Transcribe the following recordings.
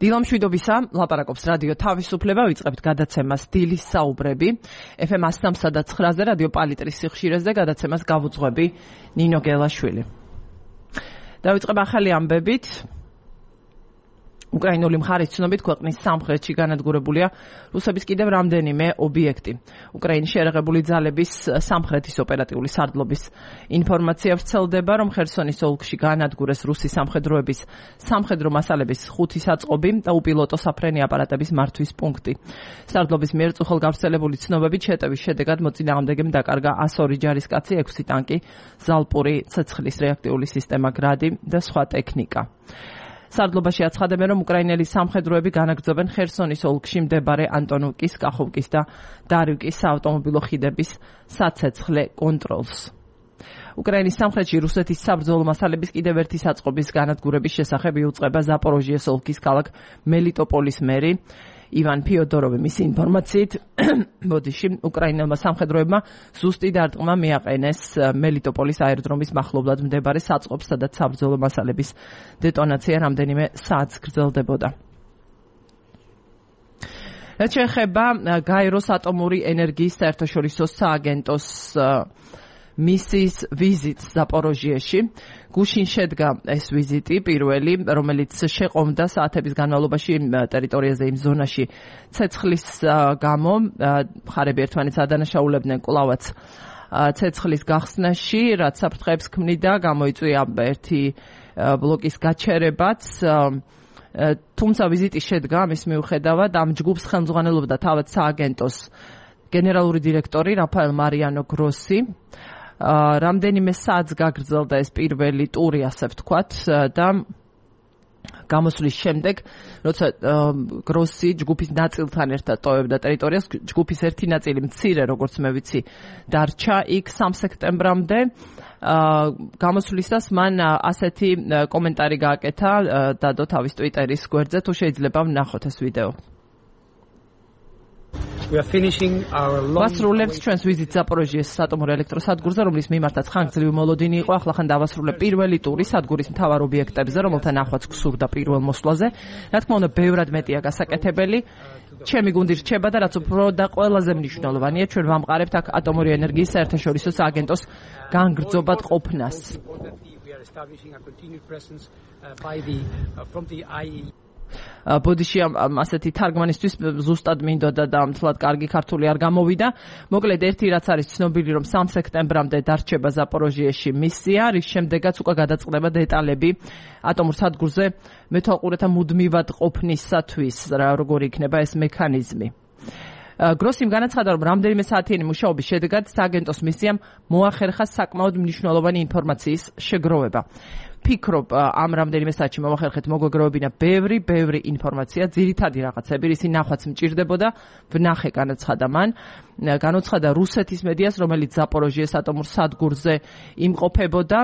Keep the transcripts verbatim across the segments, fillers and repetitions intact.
დილამშვიდობისა, ლაპარაკობს რადიო თავისუფლება, ვიწყებთ გადაცემას დილის საუბრები. ეფ ემ one oh three ზე რადიო პალიტრის სიხშირეზე გადაცემას გავუძღვები ნინო გელაშვილი. დავიწყებ ახალი ამბებით. უკრაინული მხარის ცნობით ქვეყნის სამხრეთში განადგურებულია რუსების კიდევ რამდენიმე ობიექტი. უკრაინის შეერაღებული ძალების სამხრეთის ოპერატიული სარდლობის ინფორმაცია ვრცელდება, რომ ხერსონის ოლქში განადგურეს რუსი სამხედროების სამხედრო მასალების ხუთი საწყობი და უპილოტო საფრენი აპარატების მართვის პუნქტი. სარდლობის მიერ წუხელ გავრცელებული ცნობებით შეტევის შედეგად მოწინააღმდეგემ დაკარგა one hundred ჯარისკაცი, ექვსი ტანკი, ზალპური ცეცხლის რეაქტიული სისტემა გრადი და სხვა ტექნიკა. სარდლობაში აცხადებენ, რომ უკრაინელი სამხედროები განაგრძობენ ხერსონის ოლქში მდებარე ანტონოვკის, კახოვკის და დარივკის საავტომობილო ხიდების საცეცხლე კონტროლს. უკრაინის სამხრეთში რუსეთის საბრძოლო მასალების კიდევ ერთი საწყობის განადგურების შესახებ იუწყება ზაპოროჟიეს ოლქის ქალაქ მელიტოპოლის მერი ივან ფიოდოროვი. მისი ინფორმაციით, ბოდიში უკრაინელმა სამხედროებმა ზუსტი დარტყმა მიაყენეს მელიტოპოლის აეროდრომის მახლობლად მდებარე საწყობს, სადაც საბრძოლო მასალების დეტონაცია რამდენიმე საათს გრძელდებოდა. რაც შეეხება გაეროს ატომური ენერგიის საერთაშორისო სააგენტოს მისიის ვიზიტს ზაპოროჟიეში. გუშინ შედგა ეს ვიზიტი პირველი, რომელიც შეყომდა საათების განმავლობაში ტერიტორიაზე იმ ზონაში ცეცხლის გამო. მხარები ერთმანეთს ადანაშაულებდნენ კვლავაც ცეცხლის გახსნაში, რაც საფრთხეებს ქმნიდა, გამოიწვია ერთი ბლოკის გაჩერებაც. თუმცა ვიზიტი შედგა ამის მიუხედავად, ამ ჯგუფს ხელმძღვანელობდა თავად სააგენტოს გენერალური დირექტორი რაფაელ მარიანო გროსი. რამდენიმე საათს გაგრძელდა ეს პირველი ტური, ასე ვთქვათ, და გამოსვლის შემდეგ, როცა გროსი ჯგუფის ნაწილთან ერთად ტოვებდა ტერიტორიას, ჯგუფის ერთი ნაწილი მცირე, როგორც მე ვიცი, დარჩა იქ სამი სექტემბრამდე. გამოსვლისას მან ასეთი კომენტარი გააკეთა დადო თავის ტვიტერის გვერდზე, თუ შეიძლება ვნახოთ ეს ვიდეო. ვასრულებთ ჩვენს ვიზიტს ზაპოროჟიეს საატომური ელექტროსადგურზე, რომლის მიმართაც ხანგრძლივი მოლოდინი იყო. ახლა ხან დავასრულებ პირველი ტური სადგურის მთავარ ობიექტებზე, რომელთა ნახვაც გსურდა პირველ მოსვლაზე. რა თქმა უნდა, ბევრად მეტია გასაკეთებელი. ჩემი გუნდი რჩება და რაც უფრო და ყველაზე მნიშვნელოვანია, ჩვენ ვამყარებთ აქ ატომური ენერგიის საერთაშორისო სააგენტოს განგრძობად ყოფნას. ბოდიში ასეთი თარგმანისთვის ზუსტად მინდოდა და მთლად კარგი ქართული არ გამოვიდა. მოკლედ ერთი რაც არის ცნობილი, რომ სამი სექტემბრამდე დარჩება ზაპოროჟიეში მისია, რის შემდეგაც უკვე გადაწყდება დეტალები ატომურ სადგურზე მეთვალყურეთა მუდმივად ყოფნისათვის, როგორი იქნება ეს მექანიზმი. გროსიმ განაცხადა, რომ რამდენიმე საათიანი მუშაობის შედეგად სააგენტოს მისიამ მოახერხა საკმაოდ მნიშვნელოვანი ინფორმაციის შეგროვება. ფიქრობ, ამ რამდენიმე საათში მოვახერხეთ მოგვეგროვებინა ბევრი, ბევრი ინფორმაცია, ძირითადი რაღაცები, რისი ნახვაც მჭირდებოდა, ვნახე, განაცხადა მან. განაცხადა რუსეთის მედიას, რომელიც ზაპოროჟიეს ატომურ სადგურზე იმყოფებოდა.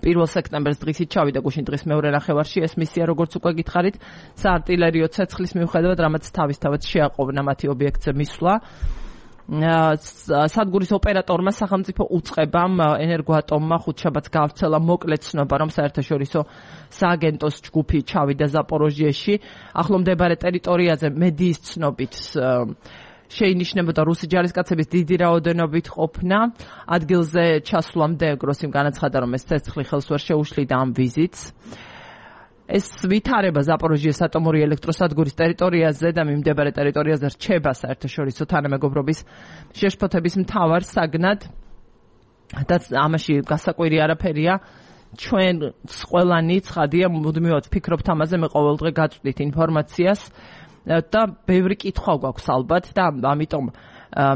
პირველ სექტემბერს დღისით ჩავიდა გუშინ დღის მეორე ნახევარში ეს მისია, როგორც უკვე გითხარით, საარტილერიო ცეცხლის მიუხედავად, რამაც თავისთავად შეაყოვნა მათი ობიექტზე მისვლა. სადგურის ოპერატორმა სახელმწიფო უწყებამ ენერგოატომმა ხუთშაბათს გავრცელა მოკლე ცნობა, რომ საერთაშორისო სააგენტოს ჯგუფი ჩავიდა ზაპოროჟიეში. ახლო მდებარე ტერიტორიაზე მედიის ცნობით შეინიშნებოდა რუსი ჯარისკაცების დიდი რაოდენობით ყოფნა. ადგილზე ჩასვლამდე გროსიმ განაცხადა, რომ ეს ცეცხლი ხელს ვერ შეუშლიდა ამ ვიზიტს. ეს ვითარება ზაპოროჟიეს ატომური ელექტროსადგურის ტერიტორიაზე და მიმდებარე ტერიტორიაზე რჩება საერთაშორისო თანამეგობრობის შეშფოთების მთავარ საგნად და ამაში გასაკვირი არაფერია. ჩვენ ყველანი ცხადია, მუდმივად ვფიქრობთ ამაზე, მე ყოველდღე გაწვდით ინფორმაციას და ბევრი კითხვა გვაქვს ალბათ და ამიტომ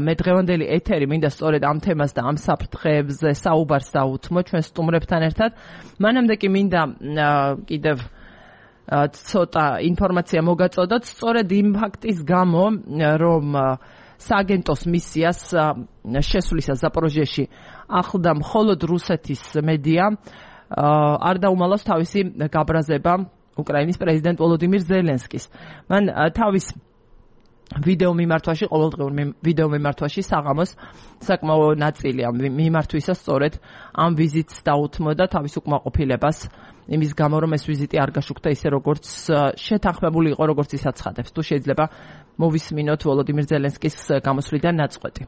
მე დღევანდელი ეთერი მინდა სწორედ ამ თემას და ამ საფრთხეებზე საუბარს დავუთმო ჩვენ სტუმრებთან ერთად. მანამდე კი მინდა კიდევ ცოტა ინფორმაცია მოგაწოდოთ სწორედ იმ ფაქტის გამო, რომ სააგენტოს მისიას შესვლისას ზაპოროჟიეში ახლდა მხოლოდ რუსეთის მედია, არ დაუმალავს თავისი გაბრაზება უკრაინის პრეზიდენტ ვოლოდიმირ ზელენსკის. მან თავის ვიდეო მიმართვაში, ყოველდღიურ ვიდეო მიმართვაში საღამოს საკმაო ნაწილი ამ მიმართვისა სწორედ ამ ვიზიტს დაუთმოდა თავის უკმაყოფილებას იმის გამო, რომ ეს ვიზიტი არ გაშუქდა ისე როგორც შეთანხმებული იყო, როგორც ის აცხადებს. თუ შეიძლება მოვისმინოთ ვოლოდიმირ ზელენსკის გამოსვლიდან ნაწყვეტი.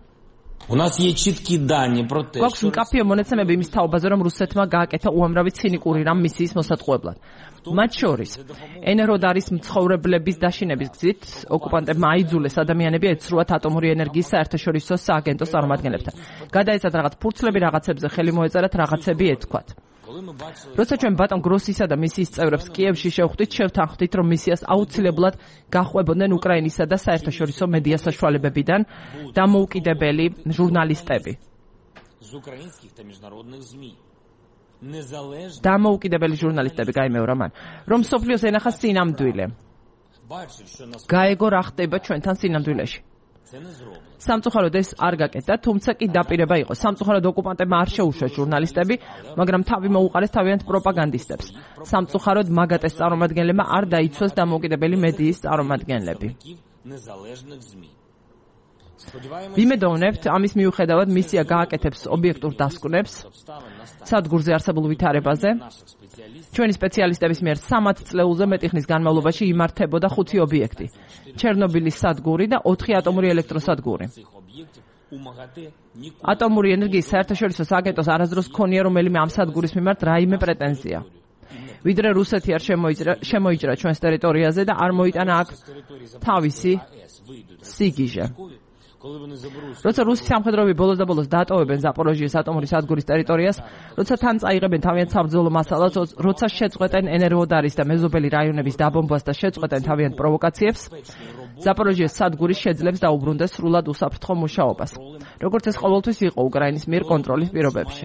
У нас есть четкие данные про то, что მკაფიო მონაცემები იმის თაობაზე, რომ რუსეთმა გააკეთა უამრავი ცინიკური რამ მისიის მოსატყუებლად. მათ შორის ენეროდარის მცხოვრებლების დაშინების გზით ოკუპანტებმა აიძულეს ადამიანები ეცრუათ ატომური ენერგიის საერთაშორისო სააგენტოს წარმომადგენლებთან. გადაეცათ რაღაც ფურცლები, რაღაცებზე ხელი მოეწერათ, რაღაცები ეთქვათ. როცა ჩვენ ბატონ გროსისა და მისიის წევრებს კიევში შევხვდით, შევთანხმდით, რომ მისიას აუცილებლად გახვებოდნენ უკრაინისა და საერთაშორისო მედია საშუალებებიდან დამოუკიდებელი ჟურნალისტები. დამოუკიდებელი ჟურნალისტები გაიმეორა მან, რომ სოფლიოს ენახა სინამდვილე. გაეგო რა ხდება ჩვენთან სინამდვილეში. სამწუხაროდ ეს არ გაკეთდა, თუმცა კი დაპირება იყო. სამწუხაროდ ოკუპანტებმა არ შეუშვეს ჟურნალისტები, მაგრამ თავი მოუყარეს თავიანთ პროპაგანდისტებს. სამწუხაროდ მაგატეს წარმომადგენლებმა არ დაიცვას დამოუკიდებელი მედიის წარმომადგენლები. ვიმედოვნებთ, ამის მიუხედავად მისია გააკეთებს ობიექტურ დასკვნებს სადგურზე არსებულ ვითარებაზე. ჩვენი სპეციალისტების მიერ სამად წლეულზე მეტი ხნის განმავლობაში იმართებოდა ხუთი ობიექტი. ჩერნობილის სადგური და ოთხი ატომური ელექტროსადგური. ატომური ენერგიის საერთაშორისო სააგენტოს არასდროს ჰქონია რომელიმე ამ სადგურის მიმართ რაიმე პრეტენზია. ვიდრე რუსეთი არ შემოიჭრა ჩვენს ტერიტორიაზე და არ მოიტანა აქ თავისი სიგიჟე. როცა რუსი სამხედროები ბოლოს და ბოლოს დატოვებენ ზაპოროჟიეს ატომური სადგურის ტერიტორიას, როცა თან წაიღებენ თავიანთ საბრძოლო მასალას, როცა შეწყვეტენ ენერგოდარის და მეზობელი რაიონების დაბომბვას და შეწყვეტენ თავიანთ პროვოკაციებს, ზაპოროჟიეს სადგური შეძლებს დაუბრუნდეს სრულად უსაფრთხო მუშაობას, როგორც ეს ყოველთვის იყო უკრაინის მიერ კონტროლის პირობებში.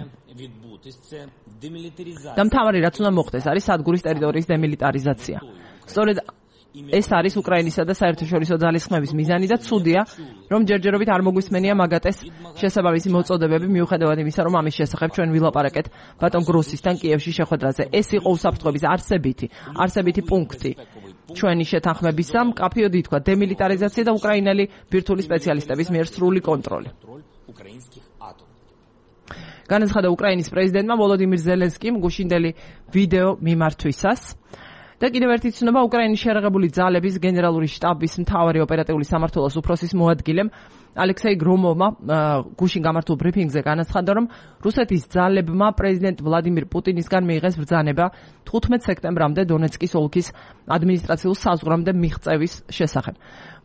და მთავარი რაც უნდა მოხდეს, არის სადგურის ტერიტორიის დემილიტარიზაცია. სწორედ ეს არის უკრაინისა და საერთაშორისო ძალისხმების მიზანი და ცუდია, რომ ჯერჯერობით არ მოგვისმენია მაგატეს შესაბამისი მოწოდებები, მიუხედავად იმისა, რომ ამის შესახებ ჩვენ ვილაპარაკეთ ბატონ გროსისთან კიევში შეხვედრაზე. ეს იყო უსაფრთხოების არსებითი, არსებითი პუნქტი ჩვენი შეთანხმებისა, მკაფიოდ ითქვა დემილიტარიზაცია და უკრაინელი ბირთვული სპეციალისტების მიერ სრული კონტროლი. განაცხადა უკრაინის პრეზიდენტმა ვოლოდიმირ ზელენსკიმ გუშინდელი ვიდეო მიმართვისას. და კიდევ ერთი ცნობა, უკრაინის შეერაღებული ძალების გენერალური შტაბის მთავარი ოპერატიული სამმართველოს უფროსის მოადგილემ ალექსეი გრომოვმა გუშინ გამართულ ბრიფინგზე განაცხადა, რომ რუსეთის ძალებმა პრეზიდენტ ვლადიმირ პუტინისგან მიიღეს ბრძანება თხუთმეტ სექტემბრამდე დონეცკის ოლქის ადმინისტრაციულ საზღვრამდე მიღწევის შესახებ.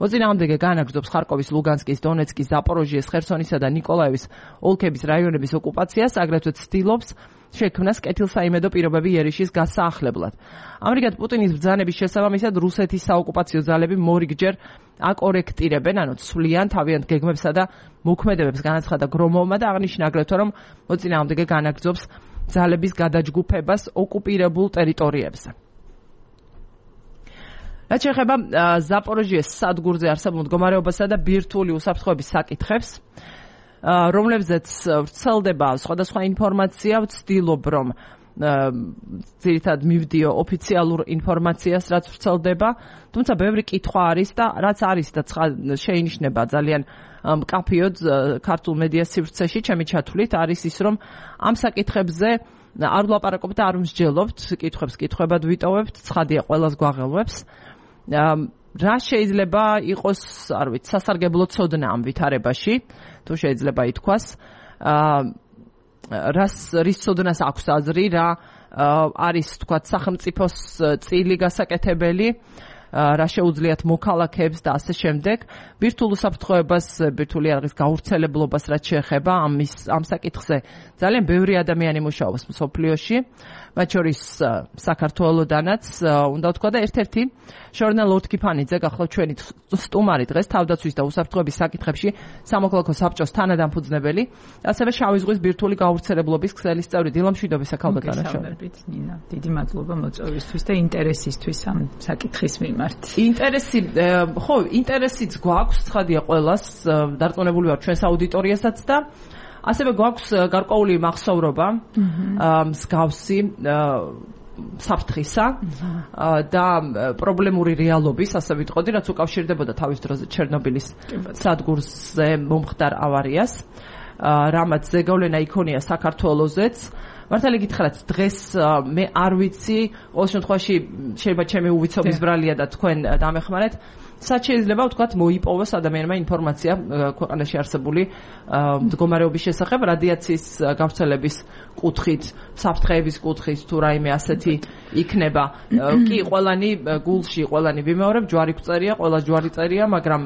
მოწინააღმდეგე განაგრძობს ხარკოვის, ლუგანსკის, დონეცკის, ზაპოროჟიეს, ხერსონისა და ნიკოლაევის ოლქების რაიონების ოკუპაციას, აგრეთვე ცდილობს შექმნას კეთილსაიმედო პირობები იერიშის გასაახლებლად. ამრიგად პუტინის ბრძანების შესაბამისად რუსეთის საოკუპაციო ძალები მორიგჯერ აკორექტირებენ, ანუ ცვლიან თავიანთ გეგმებსა და მოქმედებებს, განაცხადა გრომოვმა და აღნიშნა აგრეთვე, რომ მოწინააღმდეგე განაგრძობს ძალების გადაჯგუფებას ოკუპირებულ ტერიტორიებზე. რაც შეეხება ზაპოროჟიეს სადგურზე არსებულ მდგომარეობასა და ბირთვული უსაფრთხოების საკითხებს, რომლებზეც ვრცელდება სხვადასხვა ინფორმაცია, ვცდილობ რომ ძირითადად მივდიო ოფიციალურ ინფორმაციას, რაც ვრცელდება, თუმცა ბევრი კითხვა არის და რაც არის და შეინიშნება ძალიან მკაფიოდ ქართულ მედიას სივრცეში, ჩემი ჩათვლით არის ის, რომ ამ საკითხებზე არ ვლაპარაკობთ და არ მსჯელობთ, კითხვებს კითხვებად ვიტოვებთ, ცხადია ყველას გვაღელვებს. რა შეიძლება იყოს, არ ვიცი, სასარგებლო ცოდნა ამ ვითარებაში, თუ შეიძლება ითქვას, რას რის ცოდნას აქვს აზრი, რა არის, თქვათ, სახელმწიფოს წილი გასაკეთებელი, რა შეუძლიათ მოქალაქეებს და ასე შემდეგ. ბირთვულ უსაფრთხოებას, ბირთვული არღის გავრცელებლობას რაც შეეხება ამის ამ საკითხზე ძალიან ბევრი ადამიანი მუშაობს მსოფლიოში, მათ შორის საქართველოდანაც, უნდა ვთქვა და ერთ-ერთი შორნა ლორთქიფანიძე გახლავთ ჩვენი სტუმარი დღეს თავდაცვის და უსაფრთხოების საკითხებში სამოქალაქო საბჭოს თანადამფუძნებელი, ასევე შავი ზღვის ბირთვული გავრცელებლობის ქსელის წევრი. დილამშვიდობისა ქალბატონო შოვრებით. ნინა, დიდი მადლობა მოწვევისთვის და ინტერესისთვის ამ საკითხის მიმართ. ინტერესი, ხო, ინტერესიც გვაქვს, ცხადია ყველას, დარწმუნებული ვარ ჩვენს აუდიტორიასაც და ასევე გვაქვს გარკვეული მახსოვრობა მსგავსი საფრთხისა და პრობლემური რეალობის, ასე ვიტყოდი, რაც უკავშირდებოდა თავის დროზე ჩერნობილის სადგურზე მომხდარ ავარიას, რამაც ზეგავლენა იქონია საქართველოზეც. მართალი გითხრათ, დღეს მე არ ვიცი, ყოველ შემთხვევაში შეიძლება ჩემი უვიცობის ბრალია და თქვენ დამეხმარეთ, სად შეიძლება ვთქვათ მოიპოვოს ადამიანმა ინფორმაცია ქვეყანაში არსებული მდგომარეობის შესახებ, რადიაციის გავრცელების კუთხით, საფრთხეების კუთხით თუ რაიმე ასეთი იქნება. კი, ყველანი გულში, ყველანი ვიმეორებ, ჯვარი გვწერია, ყველა ჯვარი წერია, მაგრამ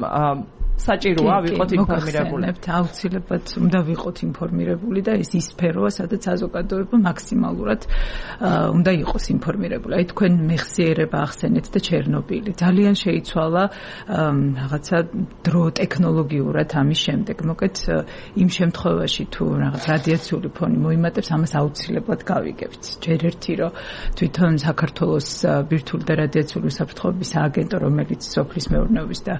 საჭიროა ვიყოთ ინფორმირებული. აუცილებლად უნდა ვიყოთ ინფორმირებული და ეს ის სფეროა, სადაც საზოგადოება მაქსიმალურად უნდა იყოს ინფორმირებული. აი თქვენ მეხსიერება ახსენეთ და ჩერნობილი. ძალიან შეიცვალა რაღაცა დრო ტექნოლოგიურად ამის შემდეგ. მოკეთ იმ შემთხვევაში თუ რაღაც რადიაციული ფონი მოიმატებს, ამას აუცილებლად გავიგებთ. ჯერ ერთი რომ თვითონ საქართველოს ბირთვული და რადიაციული უსაფრთხოების სააგენტო, რომელიც სოფლის მეურნეობის და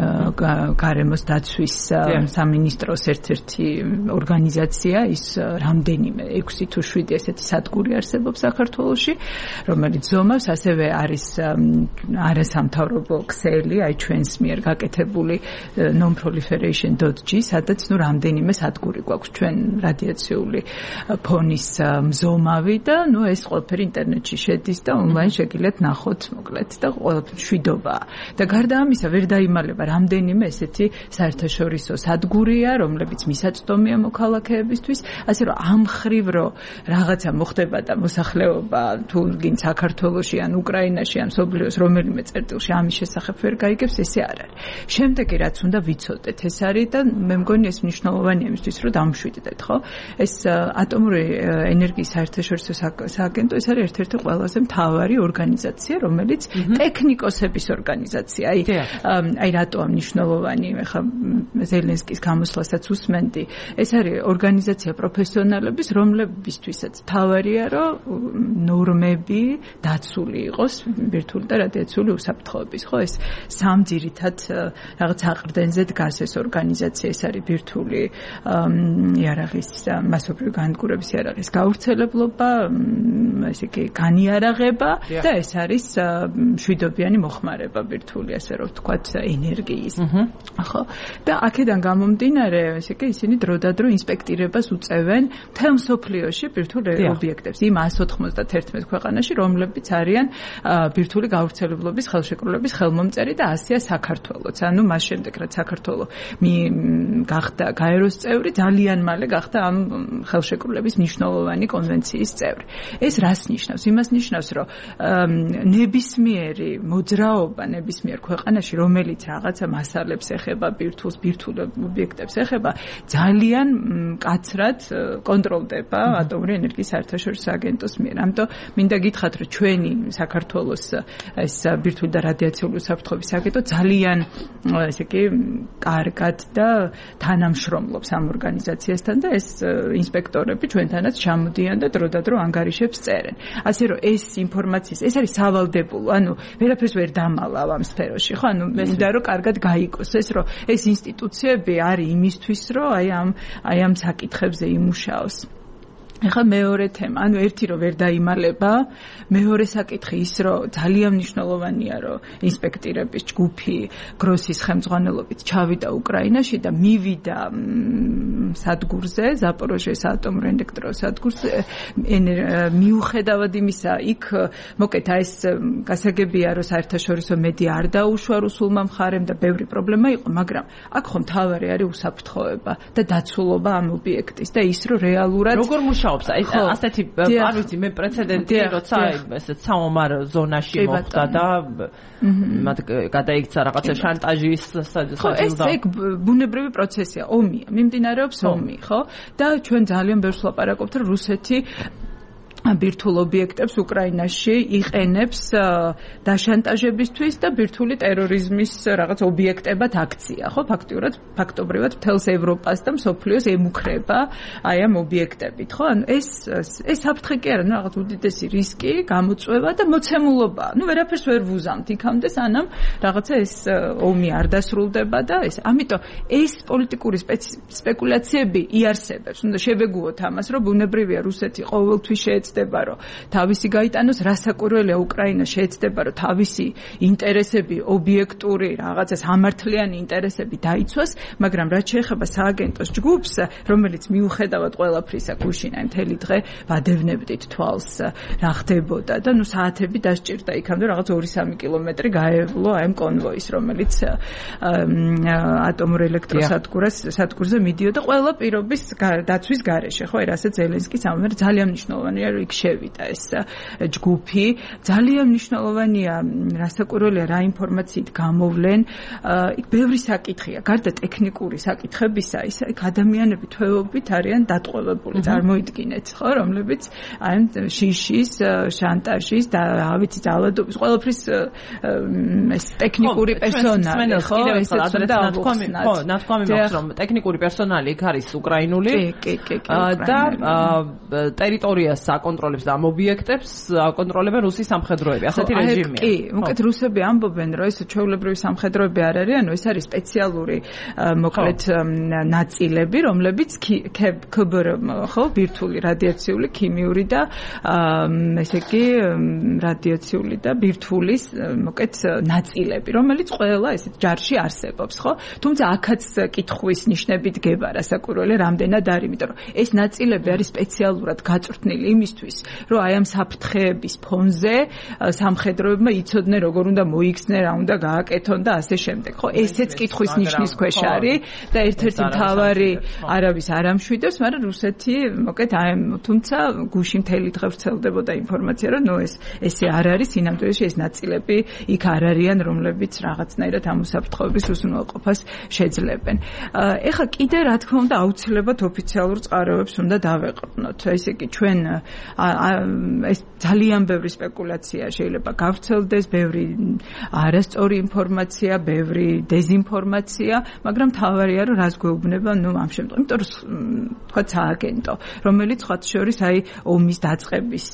გარემოს დაცვის სამინისტროს ერთ-ერთი ორგანიზაცია, ის რამდენიმე ექვსი თუ შვიდი ესეთი სადგური არსებობს საქართველოში, რომელიც ზომავს, ასევე არის არასამთავრობო ქსელი, აი ჩვენს მიერ გაკეთებული non-proliferation dot g, სადაც ნუ რამდენიმე სადგური გვაქვს ჩვენ რადიაციული ფონის მზომავი და ნუ ეს ყველაფერი ინტერნეტში შედის და ონლაინ შეგიძლიათ ნახოთ მოკლედ და ყველაფერი შვიდობაა. და გარდა ამისა ვერ დაიმალება რამდენიმე ესეთი საერთაშორისო სადგურია, რომლებიც მისაწვდომია მოქალაქეებისთვის, ასე რომ ამ ხრივ რო რაღაცა მოხდება და მოსახლეობა თუ გინ საქართველოში ან უკრაინაში ან სოფლიოს რომელიმე წერტილში ამის შესახებ ვერ გაიგებს, ესე არ არის. შემდეგი რაც უნდა ვიცოდეთ, ეს არის და მე მგონი ეს მნიშვნელოვანია იმისთვის, რომ დამშვიდდეთ, ხო? ეს ატომური ენერგიის საერთაშორისო სააგენტო, ეს არის ერთ-ერთი ყველაზე მთავარი ორგანიზაცია, რომელიც ტექნიკოსების ორგანიზაცია. აი აი რატო მნიშვნელოვანი, ხა ზელენსკის გამოსვლასაც უსმენდი. ეს არის ორგანიზაცია პროფესიონალების, რომლებისთვისაც თავარია, რომ ნორმები დაცული იყოს ბირთვული და რადიაციული უსაფრთხოების. ხო, ეს სამ ძირითად რაღაც აყრდენზე დგას ეს ორგანიზაცია, ეს არის ბირთვული იარაღის მასობრივი განადგურების იარაღის გავრცელებლობა, ესე იგი განიარაღება და ეს არის მშვიდობიანი მოხმარება ბირთვული, ასე რომ ვთქვათ, ენერგიის. ხო, და აქედან გამომდინარე, ესე იგი ისინი დროდადრო ინსპექტირებას უწევენ მთელ მსოფლიოში ბირთვულ ობიექტებს, იმ ას ოთხმოცდაათი ქვეყანაში, რომლებიც არიან ბირთვული გავრცელებლობის ხელშეკრულების ხელმომწერი და ასია საქართველოც. ანუ მას შემდეგ, რაც საქართველო გახდა გაეროს წევრი, ძალიან მალე გახდა ამ ხელშეკრულების მნიშვნელოვანი კონვენციის წევრი. ეს რას ნიშნავს? იმას ნიშნავს, რომ ნებისმიერი მოძრაობა ნებისმიერ ქვეყანაში, რომელიც რაღაცა მასალებს ეხება, ბირთვულს, ბირთვულ ობიექტებს ეხება, ძალიან მკაცრად კონტროლდება ატომური ენერგიის საერთაშორისო აგენტოს მიერ. ამიტომ მინდა გითხრათ, რომ ჩვენი საქართველოს ეს ბირთვული და რადიაციული უსაფრთხოების აგენტო ძალიან ესე იგი კარგად და თანამშრომლობს ამ ორგანიზაციასთან და ეს ინსპექტორები ჩვენთანაც ჩამოდიან და დროდადრო ანგარიშებს წერენ. ასე რომ ეს ინფორმაციის, ეს არის სავალდებულო, ანუ ვერაფერს ვერ დამალავ ამ სფეროში, ხო? ანუ მინდა რომ კარგად გაიგოს ეს, რომ ეს ინსტიტუციები არის იმისთვის, რომ აი ამ აი ამ საკითხებზე იმუშაოს. ეხლა მეორე თემა, ანუ ერთი რომ ვერ დაიმალება, მეორე საკითხი ის, რომ ძალიან მნიშვნელოვანია, რომ ინსპექტირების ჯგუფი გროსის ხელმძღვანელობით ჩავიდა უკრაინაში და მივიდა სადგურზე, ზაპოროჟიეს ატომურ ელექტროსადგურზე, მიუხედავად იმისა, იქ მოკეთ ეს გასაგებია, რომ საერთაშორისო მედია არ დაუშვა რუსულმა მხარემ და ბევრი პრობლემა იყო, მაგრამ აქ ხომ მთავარი არის უსაფრთხოება და დაცულობა ამ ობიექტის და ის, რომ რეალურად როგორ მუშაობს აი ასეთი არ ვიცი მე პრეცედენტი როცა ესეც საომარ ზონაში მოხდა და მათ გადაიქცა რაღაცა შანტაჟის საჯილდო. ეს ბუნებრივი პროცესია, ომია, მიმდინარეობს ომი, ხო? და ჩვენ ძალიან ბევრს ვლაპარაკობთ, რომ რუსეთი ბირთვულ ობიექტებს უკრაინაში იყენებს დაშანტაჟებისთვის და ბირთვული ტერორიზმის რაღაც ობიექტებად აქცია, ხო? ფაქტიურად, ფაქტობრივად მთელს ევროპას და მსოფლიოს ემუქრება აი ამ ობიექტებით, ხო? ანუ ეს ეს საფრთხე კი არა, რაღაც უდიდესი რისკი, გამოწვევა და მოცემულობა. ნუ ვერაფერს ვერ ვუზამთ იქამდე, სანამ რაღაცა ეს ომი არ დასრულდება და ეს. ამიტომ ეს პოლიტიკური სპეკულაციები იარსებებს. უნდა შევეგუოთ ამას, რომ ბუნებრივია რუსეთი ყოველთვის შეეცდა შეეცდება რომ თავისი გაიტანოს, რასაკვირველია უკრაინა შეეცდება რომ თავისი ინტერესები, ობიექტური რაღაცა სამართლიანი ინტერესები დაიცვას, მაგრამ რაც შეეხება სააგენტოს ჯგუფს, რომელიც მიუხედავად ყველაფრისა გუშინ აი მთელი დღე ვადევნებდით თვალს რა ხდებოდა და ნუ საათები დასჭირდა იქამდე რაღაც ორი სამი კილომეტრი გაევლო აი ამ კონვოის, რომელიც ატომურ ელექტროსადგურს სადგურზე მიდიოდა ყველა პირობის დაცვის გარეშე, ხო, რასაც ზელენსკის ამერ ძალიან მნიშვნელოვანია რომ იქ შევიდა ეს ჯგუფი, ძალიან მნიშვნელოვანია რასაკვირველია რა ინფორმაციით გამოვლენ, იქ ბევრი საკითხია, გარდა ტექნიკური საკითხებისა, ის იქ ადამიანები თვეობით არიან დატყვევებული, წარმოიდგინეთ, ხო, რომლებიც აი შიშის, შანტაჟის და რა ვიცი ძალადობის, ყველაფრის ეს ტექნიკური პერსონალი, ხო, ესეც უნდა თქვამი, ხო, ნათქვამი მაქვს რომ ტექნიკური პერსონალი იქ არის უკრაინული და ტერიტორიას აკონტროლებს და ამ ობიექტებს აკონტროლებენ რუსის სამხედროები. ასეთი რეჟიმია. კი, უკეთ რუსები ამბობენ რომ ეს ჩვეულებრივი სამხედროები არ არიან, ეს არის სპეციალური მოკლედ ნაწილები, რომლებიც ქბ-რ, ხო, ბირთვული რადიაციული, ქიმიური და ესე იგი რადიაციული და ბირთვულის მოკლედ ნაწილები, რომელიც ყველა ეს ჯარში არსებობს, ხო? თუმცა აქაც კითხვის ნიშნები დგება, რასაკვირველია, რამდენად არის, იმიტომ რომ ეს ნაწილები არის სპეციალურად გაწვრთნილი იმისთვის, რომ აი ამ საფრთხეების ფონზე სამხედროებმა იცოდნენ, როგორ უნდა მოიქცნენ, რა უნდა გააკეთონ და ასე შემდეგ, ხო? ესეც კითხვის ნიშნის ქვეშ არის და ერთ-ერთი მთავარი არავის არ ამშვიდებს, მაგრამ რუსეთი, მოკლედ აი თუმცა გუშინ მთელი დღე ვრცელდებოდა ინფორმაცია, რომ ნუ ეს ესე არ არის, სინამდვილეში ეს ნაწილები იქ არ არიან, რომლებიც რაღაცნაირად ამ უსაფრთხოების უზრუნველყოფას შეძლებენ. ეხლა კიდე რა თქმა უნდა აუცილებლად ოფიციალურ წყაროებს უნდა დავეყრდნოთ. ესე იგი ჩვენ ეს ძალიან ბევრი სპეკულაცია შეიძლება გავრცელდეს, ბევრი არასწორი ინფორმაცია, ბევრი დეზინფორმაცია, მაგრამ თავარია რომ რას გვეუბნება, ნუ ამ შემთხვევაში, იმიტომ რომ თქვა სააგენტო, რომელიც სხვა შორის აი ომის დაწყების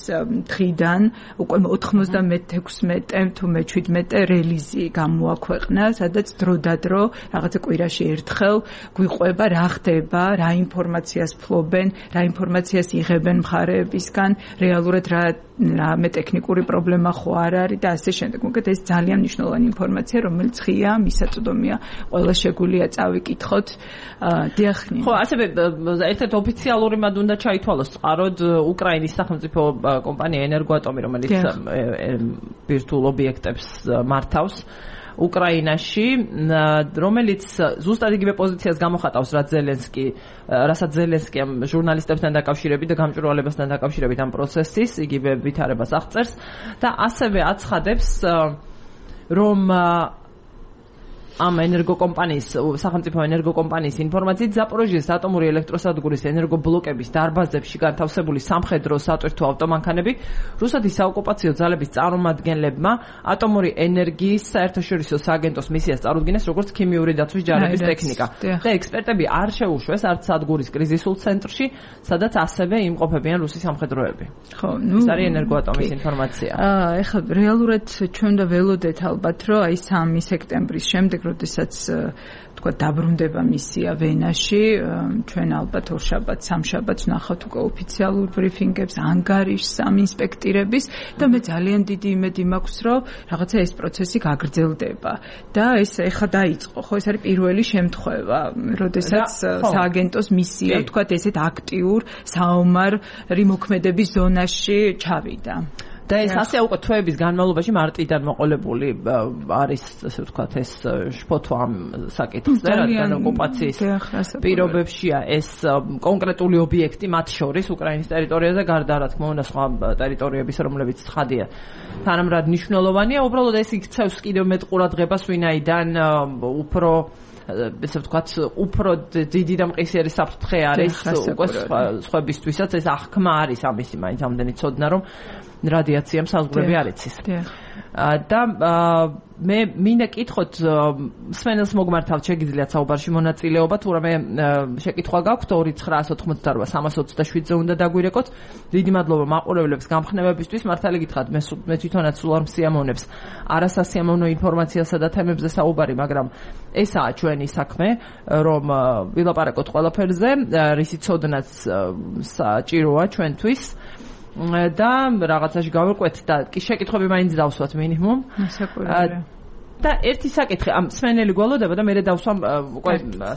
დღიდან უკვე ოთხმოცდამეექვსმეტე თუ მეჩვიდმეტე რელიზი გამოაქვეყნა, სადაც დროდადრო რაღაცა კვირაში ერთხელ გვიყვება რა ხდება, რა ინფორმაციას ფლობენ, რა ინფორმაციას იღებენ მხარეებისგან, რეალურად რა რამე ტექნიკური პრობლემა ხო არ არის და ასე შემდეგ. მოგეთ ეს ძალიან მნიშვნელოვანი ინფორმაცია, რომელიც ღია, მისაწვდომია, ყველა შეგვიძლია წავიკითხოთ. დიახ. ხო, ასევე ერთ-ერთ ოფიციალური მად უნდა ჩაითვალოს წყაროდ უკრაინის სახელმწიფო კომპანია ენერგოატომი, რომელიც ბირთვულ ობიექტებს მართავს უკრაინაში, რომელიც ზუსტად იგივე პოზიციას გამოხატავს, რაც ზელენსკი, რასაც ზელენსკი ამ ჟურნალისტებთან დაკავშირებით და გამჭვირვალებასთან დაკავშირებით ამ პროცესის იგივე ვითარებას აღწერს და ასევე აცხადებს, რომ ამ ენერგოკომპანიის, სახელმწიფო ენერგოკომპანიის ინფორმაციით ზაპოროჟიეს ატომური ელექტროსადგურის ენერგობლოკების დარბაზებში განთავსებული სამხედრო სატვირთო ავტომანქანები რუსეთის საოკუპაციო ძალების წარმომადგენლებმა ატომური ენერგიის საერთაშორისო სააგენტოს მისიას წარუდგინეს როგორც ქიმიური დაცვის ჯარების ტექნიკა. და ექსპერტები არ შეუშვეს არც სადგურის კრიზისულ ცენტრში, სადაც ასევე იმყოფებიან რუსის სამხედროები. ხო, ნუ ეს არის ენერგოატომის ინფორმაცია. აა, ეხლა რეალურად ჩვენ და ველოდეთ ალბათ, რომ აი სამი სექტემბრის შემდეგ როდესაც თქვა დაბრუნდება მისია ვენაში, ჩვენ ალბათ ორშაბათს, სამშაბათს ვნახავთ უკვე ოფიციალურ ბრიფინგებს, ანგარიშს ამ ინსპექტირების და მე ძალიან დიდი იმედი მაქვს, რომ რაღაცა ეს პროცესი გაგრძელდება და ეს ეხა დაიწყო, ხო, ეს არის პირველი შემთხვევა, როდესაც სააგენტოს მისია, თქვა ესეთ აქტიურ საომარი მოქმედების ზონაში ჩავიდა. და ეს ასე უკვე თვეების განმავლობაში მარტიდან მოყოლებული არის, ასე ვთქვათ, ეს შფოთვა ამ საკითხზე, რადგან ოკუპაციის პირობებშია ეს კონკრეტული ობიექტი, მათ შორის უკრაინის ტერიტორიაზე, გარდა რა თქმა უნდა სხვა ტერიტორიების, რომლებიც ცხადია, თანამრად მნიშვნელოვანია, უბრალოდ ეს იქცევს კიდევ მეტ ყურადღებას, ვინაიდან უფრო ესე ვთქვათ, უფრო დიდი და მყისიერი საფრთხე არის უკვე სხვებისთვისაც, ეს აღქმა არის ამისი, მაინც ამდენი ცოდნა, რომ რადიაციამ საზღვრები არ იცის. და მე მინდა კითხოთ, სვენელს მოგმართავთ, შეგიძლიათ საუბარში მონაწილეობა, თუ რამე შეკითხვა გაქვთ, ორი ცხრა ოცდაოთხმოცდარბა სამას ოცდაშვიდზე უნდა დაგვირეკოთ. დიდი მადლობა მაყურებლებს გამხნევებისთვის, მართალი გითხრათ, მე მე თვითონაც სულ არ მსიამოვნებს არასასიამოვნო ინფორმაციასა და თემებზე საუბარი, მაგრამ ესაა ჩვენი საქმე, რომ ვილაპარაკოთ ყველაფერზე, რისი ცოდნაც საჭიროა ჩვენთვის. და რაღაცაში გავიყვეთ და კი შეკითხვები მაინც დავსვათ მინიმუმ. საკურველია. და ერთი საკითხი ამ სვენელი გველოდება და მე დავსვამ უკვე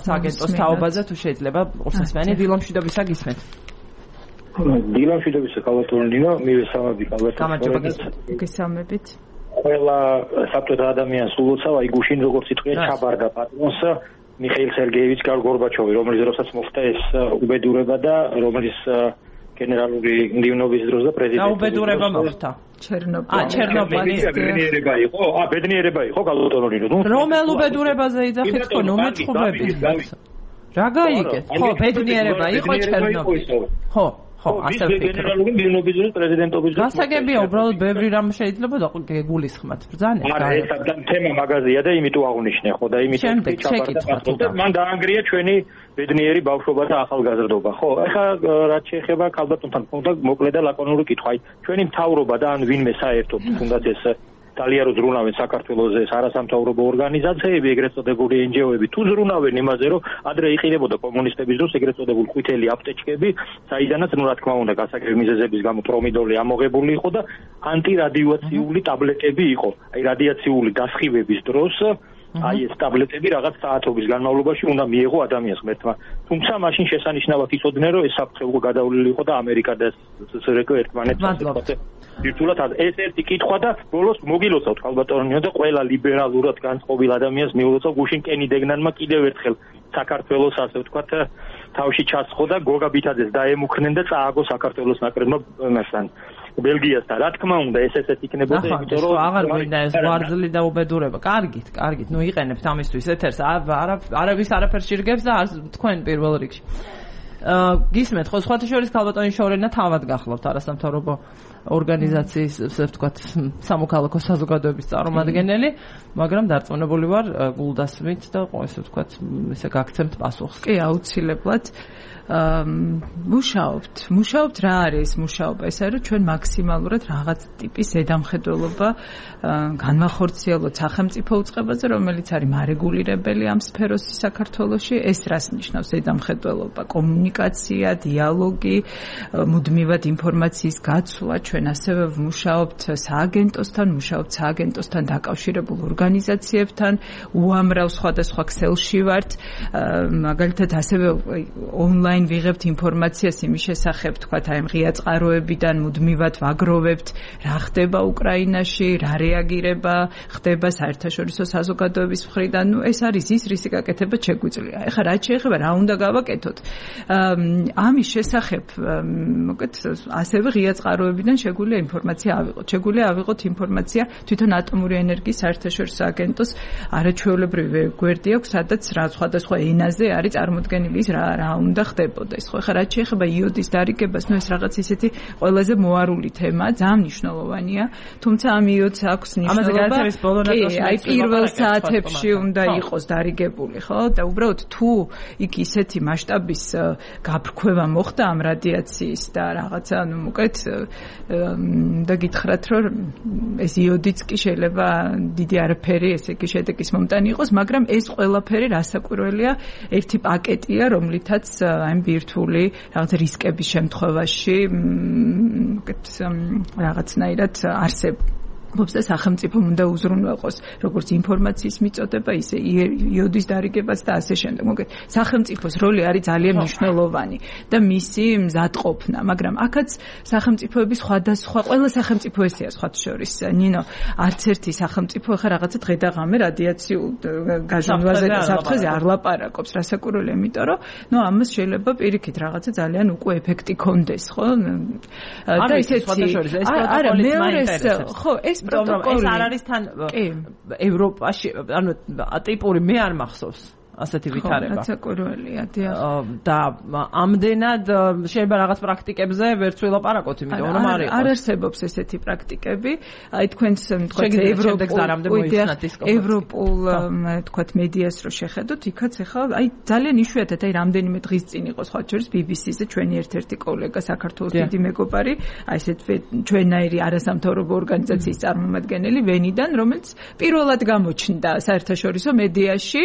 სააგენტოს თაობაზე თუ შეიძლება ყურსასმენი დილამშვიდობისა გისმენთ. დილამშვიდობისა კალათონინო მივესალმები კალათონინო. გესალმებით. ყველა საბჭოთა ადამიანს ულოცავ აი გუშინ როგორც იტყვია ჩაბარდა პატრონს მიხეილ სერგეევიჩ გორბაჩოვი რომელიც როსაც მოხდა ეს უბედურება და რომელიც გენერალური მდივნობის დროს და პრეზიდენტის და უბედურება მოხდა ჩერნობილი. ა ჩერნობილის ბედნიერება იყო. ა ბედნიერება იყო კალათონინო. რომელ უბედურებაზე იძახით ხო ნუ მეწყობები. რა გაიგეთ? ხო ბედნიერება იყო ჩერნობილი. ხო ხო, ასე ვფიქრობ. გენერალური მდივნობის დროს პრეზიდენტობის დროს გასაგებია, უბრალოდ ბევრი რამ შეიძლება და გულისხმათ ბრძანეთ. არა, ეს თემა მაგაზია და იმიტომ აღნიშნე, ხო და იმიტომ ჩაბარდა. მან დაანგრია ჩვენი ბედნიერი ბავშვობა და ახალგაზრდობა, ხო? ახლა რაც შეეხება ქალბატონთან თქონდა მოკლე და ლაკონური კითხვა. აი, ჩვენი მთავრობა და ან ვინმე საერთოდ თუნდაც ეს ძალიან ზრუნავენ საქართველოს ეს არასამთავრობო ორგანიზაციები, ეგრეთ წოდებული εν ჯი ო-ები თუ ზრუნავენ იმაზე, რომ ადრე იყიდებოდა კომუნისტების დროს ეგრეთ წოდებული ყვითელი აპტეჩკები, საიდანაც ნუ რა თქმა უნდა გასაგები მიზეზების გამო პრომიდოლი ამოღებული იყო და ანტირადიაციული ტაბლეტები იყო. აი რადიაციული დასხივების დროს აი ეს ტაბლეტები რაღაც საათობის განმავლობაში უნდა მიეღო ადამიანს ღმერთმა. თუმცა მაშინ შესანიშნავად იცოდნენ, რომ ეს საფრთხე უკვე გადავლილი იყო და ამერიკა და სსრ-ი ერთმანეთს ვირტუალურად ეს ერთი კითხვა და ბოლოს მოგილოცავთ ქალბატონინო და ყველა ლიბერალურად განწყობილ ადამიანს მიულოცავ გუშინ კენი დეგნანმა კიდევ ერთხელ საქართველოს ასე ვთქვათ თავში ჩასხო და გოგა ბითაძეს დაემუქრნენ და წააგო საქართველოს ნაკრებმა მასთან ბელგიასთან. რა თქმა უნდა ეს ესეც იქნებოდა იმიტომ რომ აღარ გვინდა ეს ვარძლი და უბედურება. კარგით, კარგით, ნუ იყენებთ ამისთვის ეთერს. არა არავის არაფერს შირგებს და თქვენ პირველ რიგში. აა გისმენთ ხო სხვათა შორის ქალბატონის შორენა თავად გახლავთ არასამთავრობო ორგანიზაციის ასე ვთქვათ სამოქალაქო საზოგადოების წარმომადგენელი, მაგრამ დარწმუნებული ვარ გულდასმით და ასე ვთქვათ ესე გაგცემთ პასუხს. კი, აუცილებლად. მუშაობთ. მუშაობთ რა არის მუშაობა? ეს არის რომ ჩვენ მაქსიმალურად რაღაც ტიპის ზედამხედველობა განვახორციელოთ სახელმწიფო უწყებაზე, რომელიც არის მარეგულირებელი ამ სფეროში საქართველოში. ეს რას ნიშნავს ზედამხედველობა? კომუნიკაცია, დიალოგი, მუდმივად ინფორმაციის გაცვლა. ჩვენ ასევე ვმუშაობთ სააგენტოსთან, მუშაობთ სააგენტოსთან დაკავშირებულ ორგანიზაციებთან, უამრავ სხვადასხვა ქსელში ვართ. მაგალითად ასევე ონლაინ ვიღებთ ინფორმაციას იმის შესახებ, თქვათ, აი ღია წყაროებიდან მუდმივად ვაგროვებთ, რა ხდება უკრაინაში, რა რეაგირება ხდება საერთაშორისო საზოგადოების მხრიდან. ნუ ეს არის ის, რის გაკეთება შეგვიძლია. ეხლა რაც შეეხება რა უნდა გავაკეთოთ? ამის შესახებ, მოკეთ, ასევე ღია წყაროებიდან შეგვიძლია ინფორმაცია ავიღოთ. შეგვიძლია ავიღოთ ინფორმაცია თვითონ ატომური ენერგიის საერთაშორისო აგენტოს არაჩვეულებრივი გვერდი აქვს, სადაც რა სხვადასხვა ენაზე არის წარმოდგენილი ის რა რა უნდა ხდებოდა ეს ხო ხა რაც შეეხება იოდის დარიგებას, ნუ ეს რაღაც ისეთი ყველაზე მოარული თემაა, ძალიან მნიშვნელოვანია, თუმცა ამ იოდს აქვს მნიშვნელობა. აი პირველ საათებში უნდა იყოს დარიგებული, ხო? და უბრალოდ თუ იქ ისეთი მასშტაბის გაფრქვევა მოხდა ამ რადიაციის და რაღაცა, ნუ მოკეთ და გითხრათ, რომ ეს იოდიც კი შეიძლება დიდი არაფერი, ესე იგი შედეგის მომტანი იყოს, მაგრამ ეს ყველაფერი რასაკვირველია, ერთი პაკეტია, რომლითაც აი ბირთვული რაღაც რისკების შემთხვევაში რაღაცნაირად არსებობს. და სახელმწიფომ უნდა უზრუნველყოს როგორც ინფორმაციის მიწოდება, ისე იოდის დარიგებაც და ასე შემდეგ. მოგეთ, სახელმწიფოს როლი არის ძალიან მნიშვნელოვანი და მისი მზადყოფნა, მაგრამ აქაც სახელმწიფოების სხვადასხვა, ყველა სახელმწიფო ესეა სხვათა შორის. ნინო, არც ერთი სახელმწიფო ახლა რაღაცა დღე და ღამე რადიაციულ გაჟონვაზე და საფრთხეზე არ ლაპარაკობს, რასაკვირველია, იმიტომ რომ ნუ ამას შეიძლება პირიქით რაღაცა ძალიან უკვე ეფექტი კონდეს, ხო? და ისეთი არა, მეორე ხო, ეს პროტოკოლი ეს არ არის თან ევროპაში, ანუ ტიპური მე არ მახსოვს ასეთი ვითარება. რაცაკურველია, დიახ. და ამდენად შეიძლება რაღაც პრაქტიკებზე ვერც ვილაპარაკოთ, იმიტომ რომ არ იყოს. არ არსებობს ესეთი პრაქტიკები. აი თქვენს თქვათ ევროპულ თქვათ მედიას რო შეხედოთ, იქაც ახლა აი ძალიან იშვიათად აი რამდენიმე დღის წინ იყო სხვა შორის ბი ბი სი-ზე ჩვენი ერთ-ერთი კოლეგა საქართველოს დიდი მეგობარი, აი ესეთ ჩვენაირი არასამთავრობო ორგანიზაციის წარმომადგენელი ვენიდან, რომელიც პირველად გამოჩნდა საერთაშორისო მედიაში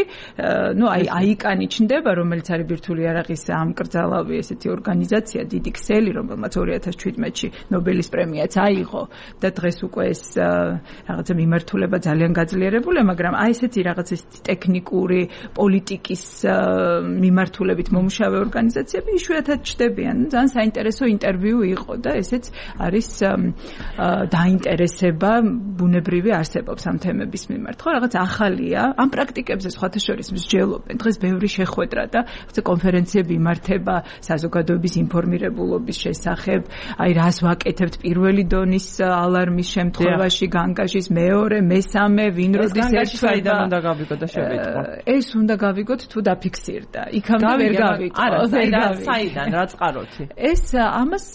ნუ აი აიკანი ჩნდება, რომელიც არის ბირთვული იარაღის ამკრძალავი ესეთი ორგანიზაცია, დიდი ქსელი, რომელმაც ორი ათას შვიდმეტში ნობელის პრემიაც აიღო და დღეს უკვე ეს რაღაცა მიმართულება ძალიან გაძლიერებულია, მაგრამ აი ესეთი რაღაც ეს ტექნიკური პოლიტიკის მიმართულებით მომუშავე ორგანიზაციები იშვიათად ჩნდებიან. ძალიან საინტერესო ინტერვიუ იყო და ესეც არის დაინტერესება ბუნებრივი არსებობს ამ თემების მიმართ. ხო, რაღაც ახალია, ამ პრაქტიკებზე სხვათა შორის მსჯელობენ. დღეს ბევრი შეხვედრა და რაღაცა კონფერენციები იმართება საზოგადოების ინფორმირებულობის შესახებ, აი რას ვაკეთებთ პირველი დონის ალარმის შემთხვევაში, განგაშის მეორე, მესამე, ვინ როდის ერთვება. უნდა გავიგოთ და შევეტყო. ეს უნდა გავიგოთ თუ დაფიქსირდა. იქამდე ვერ გავიგოთ. არა, საიდან, რა წყაროთი? ეს ამას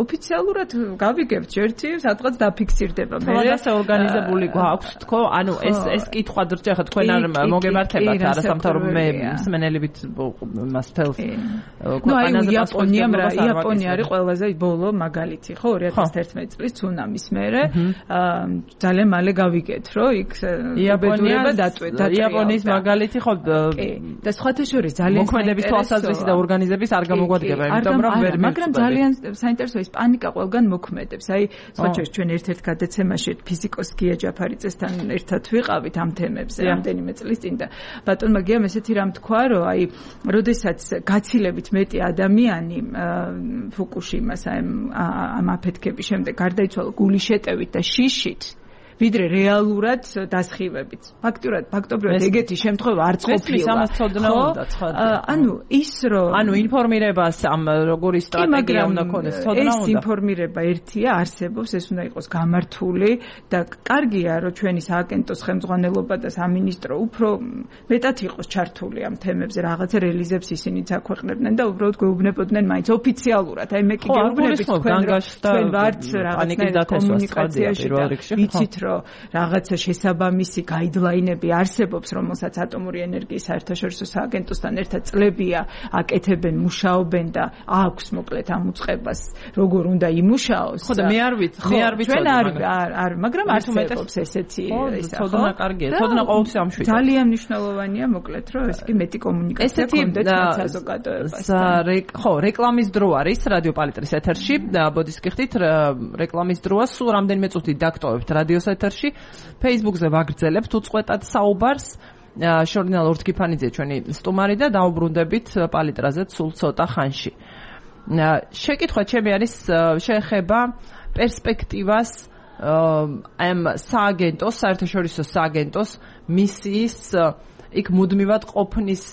ოფიციალურად გავიგებთ, ერთი სადღაც დაფიქსირდება. მე ასე ორგანიზებული გვაქვს, თქო, ანუ ეს ეს კითხვა ძრჭა ხა თქვენ არ მოგემართებათ არასამთავრობო მე მსმენელებით მას თელს. ნუ აი იაპონიამ რა, იაპონია არის ყველაზე ბოლო მაგალითი, ხო, ორი ათას ერთმეტი წლის ცუნამის მერე ძალიან მალე გავიგეთ, რომ იქ იაპონია დაწვედა. იაპონიის მაგალითი ხო და სხვათა შორის ძალიან მოქმედების თვალსაზრისი და ორგანიზების არ გამოგვადგება, იმიტომ რომ ვერ მაგრამ ძალიან საინტერესოა ეს პანიკა ყველგან მოქმედებს. აი სხვა შორის ჩვენ ერთ-ერთ გადაცემაში ფიზიკოს გია ჯაფარიძესთან ერთად ვიყავით ამ თემებზე რამდენიმე წლის წინ და ბატონმა გიამ ესეთი რამ თქვა, რომ აი როდესაც გაცილებით მეტი ადამიანი ფუკუშიმას ამ აფეთქების შემდეგ გარდაიცვალა გულის შეტევით და შიშით ვიდრე რეალურად დასხივებით. ფაქტურად, ფაქტობრივად ეგეთი შემთხვევა არც ყოფილა. ამას ცოდნა უნდა ცხადია. ანუ ის რომ ანუ ინფორმირებას ამ როგორი სტრატეგია უნდა ქონდეს, ცოდნა უნდა. ეს ინფორმირება ერთია, არსებობს, ეს უნდა იყოს გამართული და კარგია, რომ ჩვენი სააგენტოს ხელმძღვანელობა და სამინისტრო უფრო მეტად იყოს ჩართული ამ თემებზე, რაღაცა რელიზებს ისინიც აქვეყნებდნენ და უბრალოდ გვეუბნებოდნენ მაინც ოფიციალურად. აი მე კი გეუბნებით თქვენ, რომ თქვენ ვართ რაღაცა კომუნიკაციაში და ვიცით რომ რაღაცა შესაბამისი გაიდლაინები არსებობს, რომელსაც ატომური ენერგიის საერთაშორისო სააგენტოსთან ერთად წლებია აკეთებენ, მუშაობენ და აქვს მოკლედ ამ უწყებას როგორ უნდა იმუშაოს. ხო და მე არ ვიცი, მე არ ვიცი. ჩვენ არ არ, მაგრამ არსებობს ესეთი ისა. ცოდნა კარგია, ცოდნა ყოველთვის ამშვიდობ. ძალიან მნიშვნელოვანია მოკლედ, რომ ეს კი მეტი კომუნიკაცია კონდეთ საზოგადოებას. ხო, რეკლამის დრო არის რადიო პალიტრის ეთერში. ბოდის გიხდით, რეკლამის დროა, სულ რამდენიმე წუთი დაგტოვებთ რადიოს ეთერში. Facebook-ზე ვაგრძელებთ უწყვეტად საუბარს. ჟურნალ ორთქიფანიძე ჩვენი სტუმარი და დაუბრუნდებით პალიტრაზე სულ ცოტა ხანში. შეკითხვა ჩემი არის შეეხება პერსპექტივას ამ სააგენტოს, საერთაშორისო სააგენტოს მისიის იქ მუდმივად ყოფნის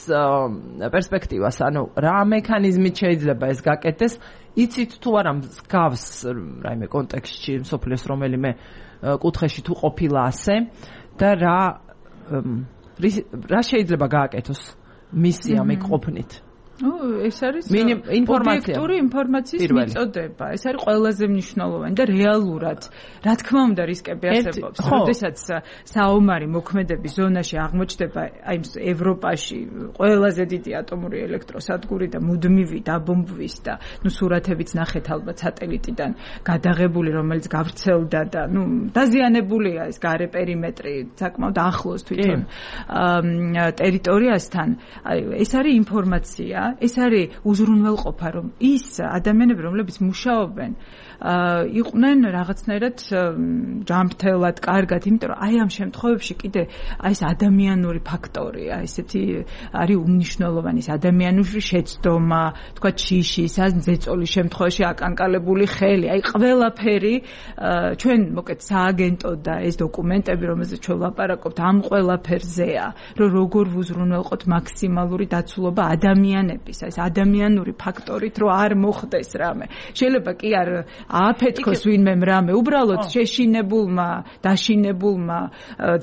პერსპექტივას, ანუ რა მექანიზმით შეიძლება ეს გაკეთდეს, იცით თუ არა მსგავს რაიმე კონტექსტში მსოფლიოს რომელიმე კუთხეში თუ ყოფილა ასე და რა რა შეიძლება გააკეთოს მისია მეკ ყოფნით? ო ეს არის ინფორმაცია ობიექტური ინფორმაციის მიწოდება. ეს არის ყველაზე მნიშვნელოვანი და რეალურად რა თქმა უნდა რისკები არსებობს. როდესაც საომარი მოქმედების ზონაში აღმოჩნდება აი ევროპაში ყველაზე დიდი ატომური ელექტროსადგური და მუდმივი დაბომბვის და ნუ სურათებიც ნახეთ ალბათ სატელიტიდან გადაღებული, რომელიც გავრცელდა და ნუ დაზიანებულია ეს გარე პერიმეტრი საკმაოდ ახლოს თვითონ ტერიტორიასთან. აი ეს არის ინფორმაცია. ეს არის უზრუნველყოფა, რომ ის ადამიანები, რომლებიც მუშაობენ, იყვნენ რაღაცნაირად ჯანმრთელად, კარგად, იმიტომ რომ აი ამ შემთხვევებში კიდე აი ეს ადამიანური ფაქტორია, ესეთი არის უმნიშვნელოვანი, ეს ადამიანური შეცდომა, თქვა შიშის, ან ზეწოლის შემთხვევაში აკანკალებული ხელი, აი ყველაფერი ჩვენ მოკეთ სააგენტო და ეს დოკუმენტები, რომელზეც ჩვენ ვლაპარაკობთ, ამ ყველაფერზეა, რომ როგორ ვუზრუნველყოთ მაქსიმალური დაცულობა ადამიანების, ეს ადამიანური ფაქტორით, რომ არ მოხდეს რამე. შეიძლება კი არ ააფეთქოს ვინმე რამე, უბრალოდ შეშინებულმა, დაშინებულმა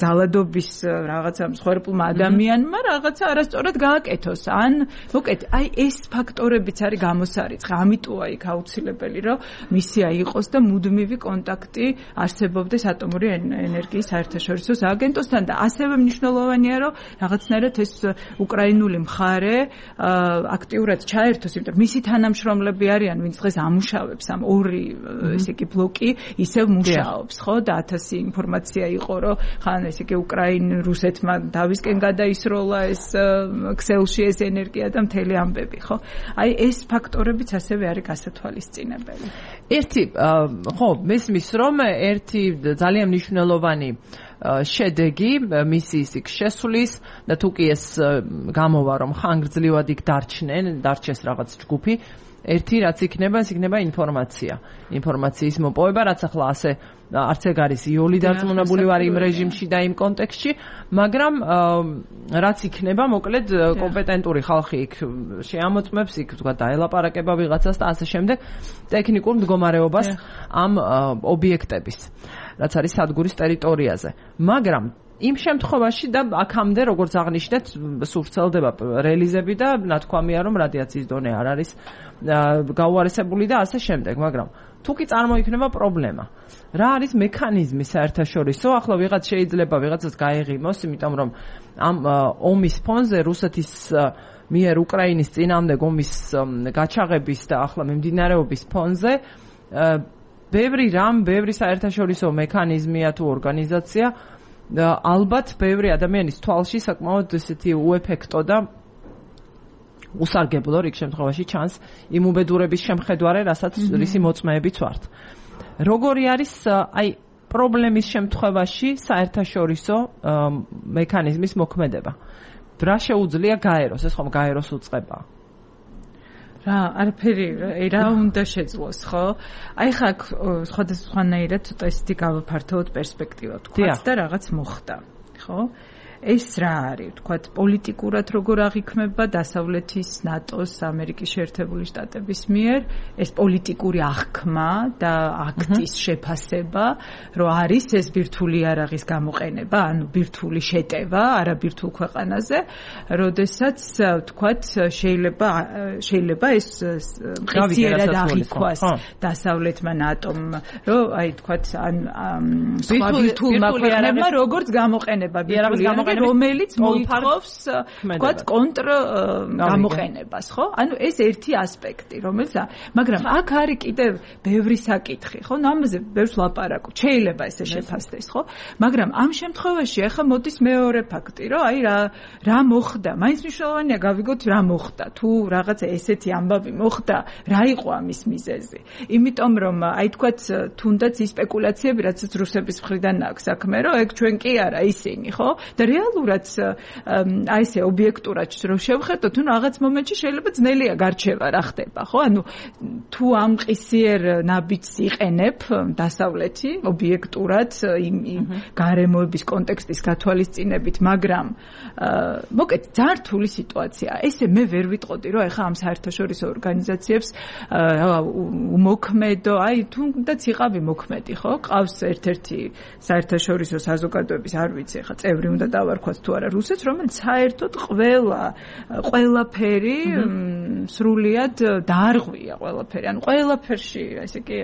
ძალადობის რაღაცა მსხვერპლმა ადამიანმა რაღაცა არასწორად გააკეთოს. ან მოკეთ, აი ეს ფაქტორებიც არის გამოსარიცხი. ამიტოა იქ აუცილებელი, რომ მისია იყოს და მუდმივი კონტაქტი არსებობდეს ატომური ენერგიის საერთაშორისო სააგენტოსთან და ასევე მნიშვნელოვანია, რომ რაღაცნაირად ეს უკრაინული მხარე აქტიურად ჩაერთოს, იმიტომ მისი თანამშრომლები არიან, ვინც დღეს ამუშავებს ამ ორი ესე იგი ბლოკი, ისევ მუშაობს, ხო? და ათასი ინფორმაცია იყო, რომ ხან ესე იგი უკრაინ რუსეთმა დავისკენ გადაისროლა ეს ქსელში ეს ენერგია და მთელი ამბები, ხო? აი ეს ფაქტორებიც ასევე არის გასათვალისწინებელი. ერთი ხო, მესმის რომ ერთი ძალიან მნიშვნელოვანი შედეგი მისი ისიქ შესulis და თუ კი ეს გამოვა რომ ხანგრძლივად იქ დარჩნენ, დარჩეს რაღაც ჯგუფი, ერთი რაც იქნება, ეს იქნება ინფორმაცია. ინფორმაციის მოპოვება, რაც ახლა ასე არც ეგ არის იოლი დარწმუნებული ვარ იმ რეჟიმში და იმ კონტექსტში, მაგრამ რაც იქნება, მოკლედ კომპეტენტური ხალხი იქ შეამოწმებს, იქ თქვა დაელაპარაკება ვიღაცას და ასე შემდეგ ტექნიკურ მდგომარეობას ამ ობიექტების, რაც არის სადგურის ტერიტორიაზე. მაგრამ იმ შემთხვევაში და აქამდე როგორც აღნიშნეთ, სულ ვრცელდება რელიზები და ნათქვამია რომ რადიაციის დონე არ არის გაუარესებული და ასე შემდეგ, მაგრამ თუ კი წარმოიქმნება პრობლემა, რა არის მექანიზმი საერთაშორისო, ახლა ვიღაც შეიძლება ვიღაცას გაეღიმოს, იმიტომ რომ ამ ომის ფონზე რუსეთის მიერ უკრაინის წინააღმდეგ ომის გაჩაღების და ახლა მიმდინარეობის ფონზე ბევრი რამ, ბევრი საერთაშორისო მექანიზმია თუ ორგანიზაცია ალბათ ბევრი ადამიანის თვალში საკმაოდ ესეთი უეფექტო და უსარგებლო რიგ შემთხვევაში ჩანს იმ უბედურების შემხედვარე, რასაც რისი მოწმეებიც ვართ. როგორი არის აი პრობლემის შემთხვევაში საერთაშორისო მექანიზმის მოქმედება? რა შეუძლია გაეროს? ეს ხომ გაეროს უწყება? რა, არაფერი რა უნდა შეძლოს, ხო? აი ხა სხვადასხვანაირად ცოტა ისეთი გავაფართოვოთ პერსპექტივა თქვათ და რაღაც მოხდა, ხო? ეს რა არის, თქვათ, პოლიტიკურად როგორ აღიქმება დასავლეთის ნატოს, ამერიკის შეერთებული შტატების მიერ ეს პოლიტიკური აღქმა და აქტის შეფასება, რომ არის ეს ბირთვული იარაღის გამოყენება, ანუ ბირთვული შეტევა არაბირთვულ ქვეყანაზე, როდესაც თქვათ, შეიძლება შეიძლება ეს მყისიერად აღიქვას დასავლეთმა ნატომ, რომ აი თქვათ, ან სხვა ბირთვულმა ქვეყნებმა როგორც გამოყენება ბირთვული იარაღი რომელიც მოითხოვს თქვათ კონტრ გამოყენებას, ხო? ანუ ეს ერთი ასპექტი, რომელიც მაგრამ აქ არის კიდევ ბევრი საკითხი, ხო? ამაზე ბევრს ლაპარაკობ. შეიძლება ესე შეფასდეს, ხო? მაგრამ ამ შემთხვევაში ახლა მოდის მეორე ფაქტი, რომ აი რა რა მოხდა? მაინც მნიშვნელოვანია გავიგოთ რა მოხდა. თუ რაღაცა ესეთი ამბავი მოხდა, რა იყო ამის მიზეზი? იმიტომ რომ აი თქვათ თუნდაც ის სპეკულაციები, რაც რუსების მხრიდან აქვს საქმე, რომ ეგ ჩვენ კი არა ისინი, ხო? და რეალურად აი ესე ობიექტურად რო შევხედოთ, თუ რაღაც მომენტში შეიძლება ძნელია გარჩევა რა ხდება, ხო? ანუ თუ ამ ყისიერ ნაბიჯს იყენებ დასავლეთი ობიექტურად იმ გარემოების კონტექსტის გათვალისწინებით, მაგრამ მოკეთ ძალიან რთული სიტუაცია. ესე მე ვერ ვიტყოდი, რომ ეხა ამ საერთაშორისო ორგანიზაციებს უმოქმედო, აი თუნდაც იყავი მოქმედი, ხო? ყავს ერთ-ერთი საერთაშორისო საზოგადოების, არ ვიცი, ეხა წევრი უნდა დავარქვათ თუ არა რუსეთს, რომელიც საერთოდ ყველა ყველაფერი სრულიად დაარღვია ყველაფერი. ანუ ყველაფერში, ესე იგი,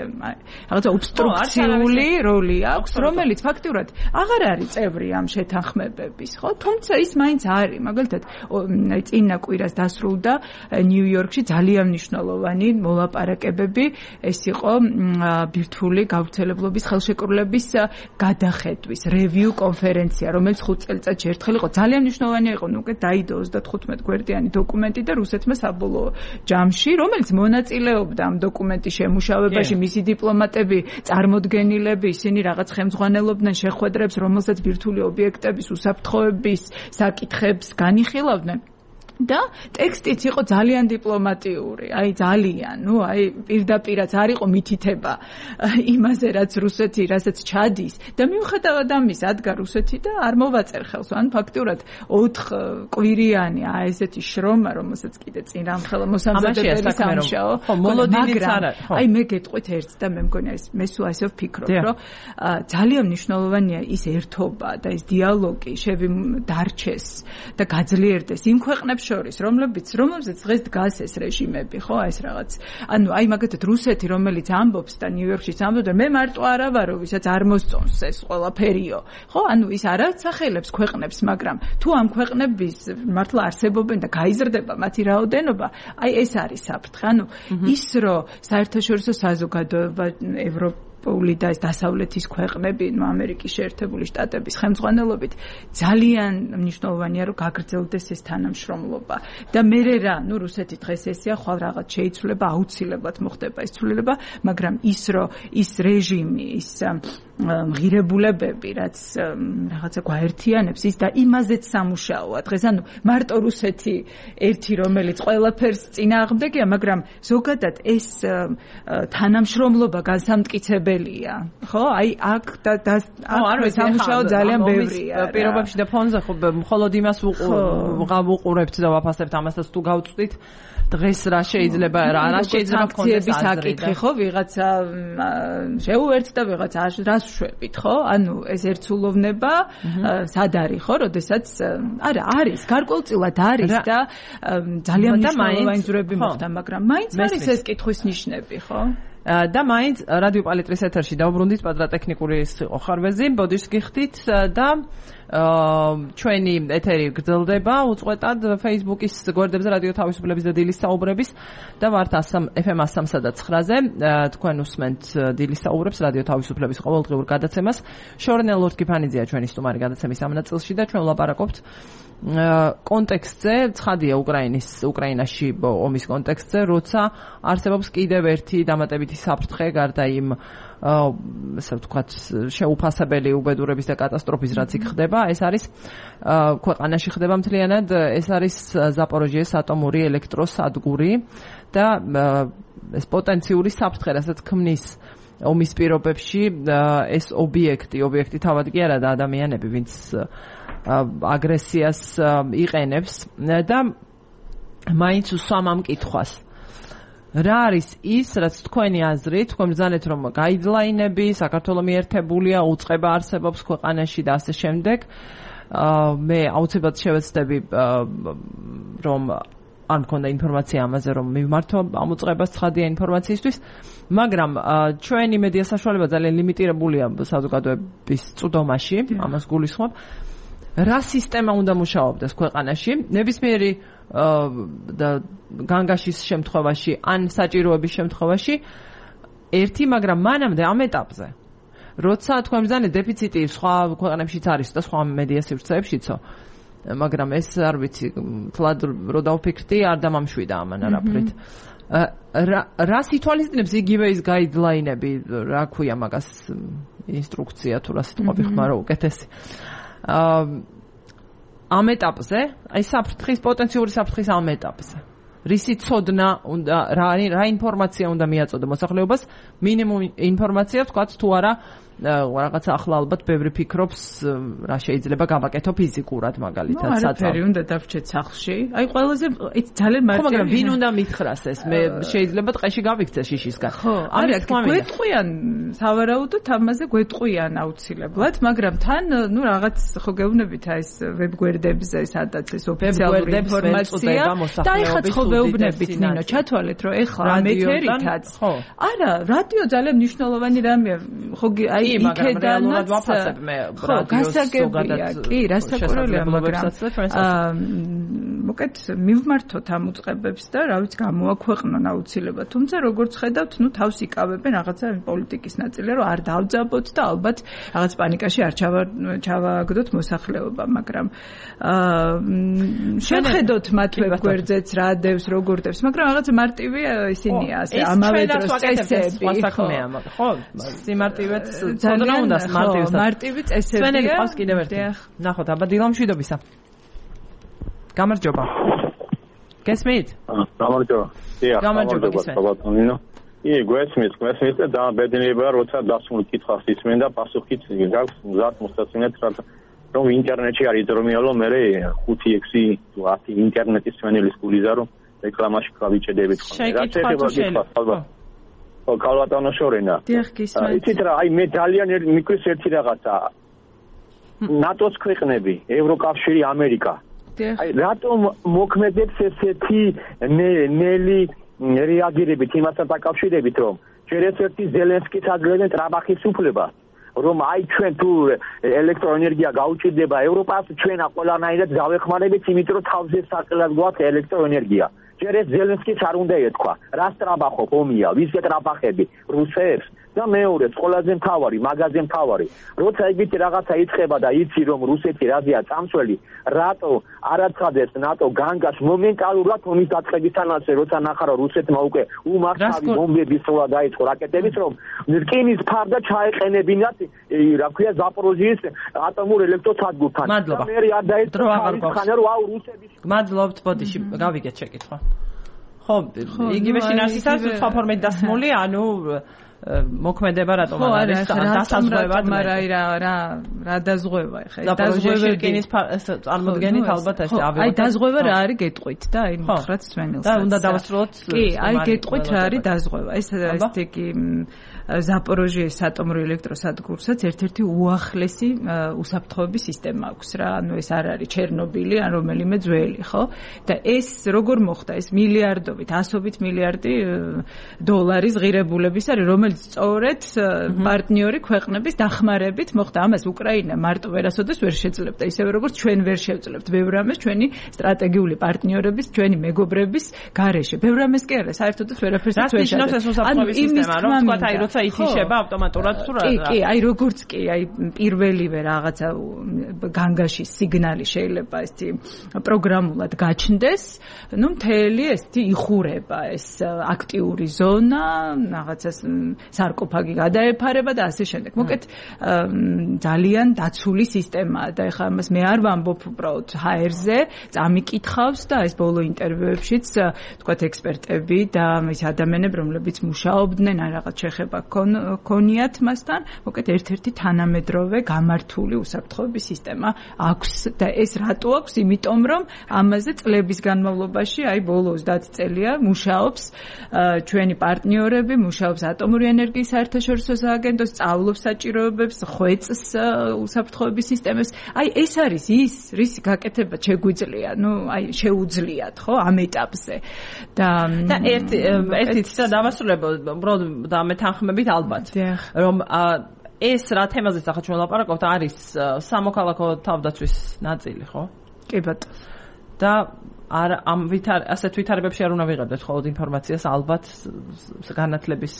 რაღაცა ობსტრუქციული როლი აქვს, რომელიც ფაქტიურად აღარ არის წევრი ამ შეთანხმებების, ხო? თუმცა ის მაინც არის. მაგალითად, წინა კვირას დასრულდა ნიუ-იორკში ძალიან მნიშვნელოვანი მოლაპარაკებები, ეს იყო ბირთვული გავრცელებლობის ხელშეკრულების გადახედვის რევიუ კონფერენცია, რომელიც ხუთ წელიწადში ერთხელ იყო. ძალიან მნიშვნელოვანი იყო, ნუ უკვე დაიდო ოცდათხუთმეტ გვერდიანი დოკუმენტი და რუსეთმა საბოლოო ჯამში, რომელიც მონაწილეობდა ამ დოკუმენტის შემუშავებაში, მისი დიპლომატები, წარმოდგენილები, ისინი რაღაც ხელმძღვანელობდნენ შეხვედრებს, რომელსაც ბირთვული ობიექტების უსაფრთხოების საკითხებს განიხილავდნენ. და ტექსტიც იყო ძალიან დიპლომატიური, აი ძალიან, ნუ აი პირდაპირაც არ იყო მითითება იმაზე, რაც რუსეთი, რასაც ჩადის და მიუხედავად ამის ადგა რუსეთი და არ მოვაწერ ხელს, ანუ ფაქტიურად ოთხ კვირიანი აი ესეთი შრომა, რომელსაც კიდე წინ რამხელა მოსამზადებელი სამუშაო, ხო, მოლოდინიც არა, ხო. აი მე გეტყვით ერთს და მე მგონია ეს მე სულ ასე ვფიქრობ, რომ ძალიან მნიშვნელოვანია ის ერთობა და ის დიალოგი შევი დარჩეს და გაძლიერდეს იმ ქვეყნებს შორის, რომლებიც რომლებზეც დღეს დგას ეს რეჟიმები, ხო, აი ეს რაღაც. ანუ აი მაგათად რუსეთი, რომელიც ამბობს და ნიუ-იორკშიც ამბობს, მე მარტო არა ვარო, ვისაც არ მოსწონს ეს ყველაფერიო. ხო, ანუ ის არ ასახელებს ქვეყნებს, მაგრამ თუ ამ ქვეყნების მართლა არსებობენ და გაიზრდება მათი რაოდენობა, აი ეს არის საფრთხე. ანუ ის რომ საერთაშორისო საზოგადოება ევროპული და დასავლეთის ქვეყნები, ნუ ამერიკის შეერთებული შტატების ხელმძღვანელობით ძალიან მნიშვნელოვანია რომ გაგრძელდეს ეს თანამშრომლობა. და მე რა, ნუ რუსეთი დღეს ესეა, ხვალ რაღაც შეიცვლება, აუცილებლად მოხდება ეს ცვლილება, მაგრამ ის რომ ის რეჟიმი, ის ღირებულებები, რაც რაღაცა გვაერთიანებს ის და იმაზეც სამუშაოა დღეს. ანუ მარტო რუსეთი ერთი რომელიც ყველაფერს წინააღმდეგია, მაგრამ ზოგადად ეს თანამშრომლობა განსამტკიცებელია. ხო? აი აქ და აქ სამუშაო ძალიან ბევრია. პირობებში და ფონზე ხო მხოლოდ იმას ვუყურებთ და ვაფასებთ ამასაც თუ გავწვდით. დღეს რა შეიძლება რა რა შეიძლება კონცეფციის საკითხი ხო ვიღაცა შეუერთდა და ვიღაცა რას შვებით ხო ანუ ეს ერთსულოვნება სად არის ხო როდესაც არა არის გარკვეულწილად არის და ძალიან მნიშვნელოვანი ზურები მოხდა მაგრამ მაინც არის ეს კითხვის ნიშნები ხო და მაინც რადიო პალიტრის ეთერში დავბრუნდით პატრატექნიკური იყო ხარვეზი ბოდიშს გიხდით და ჩვენი ეთერი გრძელდება უწყვეტად Facebook-ის გვერდებზე რადიო თავისუფლების და დილის საუბრების და ვართ ეფ ემ one oh three და nine-ზე თქვენ უსმენთ დილის საუბრებს რადიო თავისუფლების ყოველდღიურ გადაცემას შორნელ ლორთკიფანიძეა ჩვენი სტუმარი გადაცემის ამ ნაწილში და ჩვენ ვლაპარაკობთ კონტექსტზე ცხადია უკრაინის უკრაინაში ომის კონტექსტზე როცა არსებობს კიდევ ერთი დამატებითი საფრთხე გარდა იმ ასე ვთქვათ შეუფასებელი უბედურების და კატასტროფის რაც იქ ხდება ეს არის ქვეყანაში ხდება მთლიანად ეს არის ზაპოროჟიეს ატომური ელექტროსადგური და ეს პოტენციური საფრთხე რასაც ქმნის ომის პირობებში ეს ობიექტი ობიექტი თავად კი არა და ადამიანები ვინც აგრესიას იყენებს და მაინც უსვამ ამ კითხვას რა არის ის რაც თქვენი აზრით თქვენ ბრძანეთ რომ გაიდლაინები საქართველოს მიერთებულია უწყება არსებობს ქვეყანაში და ასე შემდეგ მე აუცილებლად შევეცდები რომ არ მქონდა ინფორმაცია ამაზე რომ მივმართო ამ უწყებას ცხადია ინფორმაციისთვის მაგრამ ჩვენი მედია საშუალება ძალიან ლიმიტირებულია საზოგადოების წვდომაში ამას გულისხმობ რა სისტემა უნდა მუშაობდეს ქვეყანაში ნებისმიერი და განგაშის შემთხვევაში ან საჭიროების შემთხვევაში ერთი მაგრამ მანამდე ამ ეტაპზე როცა თქვენ ბრძანეთ დეფიციტი სხვა ქვეყნებშიც არის და სხვა მედია სივრცეებშიცო მაგრამ ეს არ ვიცი თლად რო დავფიქრდი არ დამამშვიდა ამან არაფრით რა სიტუაციებს იგივე ის გაიდლაინები რა ქვია მაგას ინსტრუქცია თუ რა სიტყვები ხმარო უკეთესი ამ ეტაპზე, აი საფრთხის პოტენციური საფრთხის ამ ეტაპზე. რისი ცოდნა უნდა რა რა ინფორმაცია უნდა მიაწოდო მოსახლეობას, მინიმუმ ინფორმაცია ვთქვათ თუ არა რაღაცა ახლა ალბათ ბევრი ფიქრობს რა შეიძლება გავაკეთო ფიზიკურად მაგალითად საწავ. არაფერი უნდა დავრჩეთ სახლში. აი ყველაზე ის ძალიან მარტივია. ხო, მაგრამ ვინ უნდა მითხრას ეს? მე შეიძლება ტყეში გავიქცე შიშისგან. ხო, არა, გვეტყვიან სავარაუდოდ ამაზე გვეტყვიან აუცილებლად, მაგრამ თან ნუ რაღაც ხო გეუბნებით აი ეს ვებგვერდებზე სადაც ეს ოფიციალური ინფორმაცია და ეხლა ხო ვეუბნებით ნინო, ჩათვალეთ რომ ეხლა ამ ეთერითაც. არა, რადიო ძალიან მნიშვნელოვანი რამეა. ხო აი იქედანაც ვაფასებ მე რადიოს ზოგადად კი რასაკვირველია მაგრამ მოკეთ მივმართოთ ამ უწყებებს და რა ვიცი გამოაქვეყნონ აუცილებლად თუმცა როგორც ხედავთ ნუ თავს იკავებენ რაღაცა პოლიტიკის ნაწილი რომ არ დავძაბოთ და ალბათ რაღაც პანიკაში არ ჩავაგდოთ მოსახლეობა მაგრამ შევხედოთ მათ ვებგვერდზეც რა დევს როგორ დევს მაგრამ რაღაცა მარტივია ისინია ასე ამავე დროს წესები ხო სიმარტივეც ცოდნა უნდა მარტივი მარტივი წესებია. სვენელი ყავს კიდევ ერთი. ნახოთ, აბა დილამშვიდობისა. გამარჯობა. გესმით? გამარჯობა. დიახ, გამარჯობა გესმით. კი, გვესმით, გვესმით და დამბედნიერია, როცა დასმულ კითხვას ისმენ და პასუხიც გაქვს მზად მოსაწინეთ, რომ ინტერნეტში არის დრომიალო, მე ხუთი ექვსი თუ ათი ინტერნეტის სვენელის გულიზა რომ რეკლამაში გავიჭედებით ხოლმე. რა შეიძლება? კალვატონო შორენა. იცით რა, აი მე ძალიან მიკვის ერთი რაღაცა. ნატოს ქვეყნები, ევროკავშირი, ამერიკა. აი რატომ მოქმედებს ესეთი ნელი რეაგირებით იმასთან დაკავშირებით, რომ ჯერ ერთ-ერთი ზელენსკის აძლევენ ტრაბახის უფლებას, რომ აი ჩვენ თუ ელექტროენერგია გაუჭირდება ევროპას, ჩვენა ყველანაირად გავეხმარებით, იმიტომ რომ თავზე საყელად გვაქვს ელექტროენერგია. ჯერ ეს ზელენსკის არ უნდა ეთქვა, რა სტრაბახობ ომია, ვისგან ტრაბახები, რუსებს და მეორე, ყველაზე მთავარი, მაგაზე მთავარი. როცა ეგეთი რაღაცა იწყება და იცი რომ რუსეთი რაზეა წამსველი, რატო არაცხადებს ნატო განგას მომენტალურად ომის დაწყებისთანავე, როცა ნახა რომ რუსეთმა უკვე უმართავი ბომბების სროლა დაიწყო რაკეტების, რომ რკინის ფარდა ჩაეყენებინათ, რა ქვია, ზაპოროჟიის ატომურ ელექტროსადგურთან. მადლობა. მე არ დაიწყო ხან რომ აუ რუსების. მადლობთ, ბოდიში, გავიგეთ შეკითხვა. ხო, იგივე შინაარსისას სხვა ფორმით დასმული, ანუ მოქმედება რატომ არ არის დასაზღვევად, მაგრამ რა რა რა დაზღვევა ხა ეს დაზღვევა რკინის წარმოდგენით ალბათ ეს ავიღოთ. აი დაზღვევა რა არის გეტყვით და აი მხრად სვენელს. და უნდა დავასრულოთ. კი, აი გეტყვით რა არის დაზღვევა. ეს ესე კი ზაპოროჟიეს ატომურ ელექტროსადგურსაც ერთ-ერთი უახლესი უსაფრთხოების სისტემა აქვს რა. ანუ ეს არ არის ჩერნობილი ან რომელიმე ძველი, ხო? და ეს როგორ მოხდა? ეს მილიარდობით, ასობით მილიარდი დოლარის ღირებულების არის, რომელიც სწორედ პარტნიორი ქვეყნების დახმარებით მოხდა. ამას უკრაინა მარტო ვერასოდეს ვერ შეძლებდა, ისევე როგორც ჩვენ ვერ შევძლებთ ბევრ ამას ჩვენი სტრატეგიული პარტნიორების, ჩვენი მეგობრების გარეშე. ბევრ ამას კი არა, საერთოდაც ვერაფერს ვერ შეძლებთ. ანუ ის უსაფრთხოების სისტემა, რომ თქვა აი როცა ითიშება ავტომატურად თუ რა. კი, კი, აი როგორც კი, აი პირველივე რაღაცა განგაში სიგნალი შეიძლება ესეთი პროგრამულად გაჩნდეს, ну მთელი ესეთი იხურება ეს აქტიური ზონა, რაღაცას სარკოფაგი გადაეფარება და ასე შემდეგ. მოკეთ ძალიან დაცული სისტემაა და ეხლა ამას მე არ ვამბობ უბრალოდ ჰაერზე, წამიკითხავს და ეს ბოლო ინტერვიუებშიც თქვათ ექსპერტები და ის ადამიანები, რომლებიც მუშაობდნენ, ან რაღაც შეხება ქონიათ მასთან, მოკეთ ერთ-ერთი თანამედროვე გამართული უსაფრთხოების სისტემა აქვს და ეს რატო აქვს? იმიტომ რომ ამაზე წლების განმავლობაში, აი ბოლო ოცდაათი წელია მუშაობს ჩვენი პარტნიორები, მუშაობს ატომური ენერგიის საერთაშორისო სააგენტო, სწავლობს საჭიროებებს, ხვეწს უსაფრთხოების სისტემას. აი ეს არის ის, რისი გაკეთება შეგვიძლია, ну, აი შეუძლიათ, ხო, ამ ეტაპზე. და და ერთი ერთი ცოტა დავასრულებო, უბრალოდ და მეთანხმებით ალბათ, რომ ეს რა თემაზეც ახლა ჩვენ ვლაპარაკობთ, არის სამოქალაქო თავდაცვის ნაწილი, ხო? კი ბატონო. და არ ამ ვითარ ასეთ ვითარებებში არ უნდა ვიღებდეთ ხოლმე ინფორმაციას, ალბათ განათლების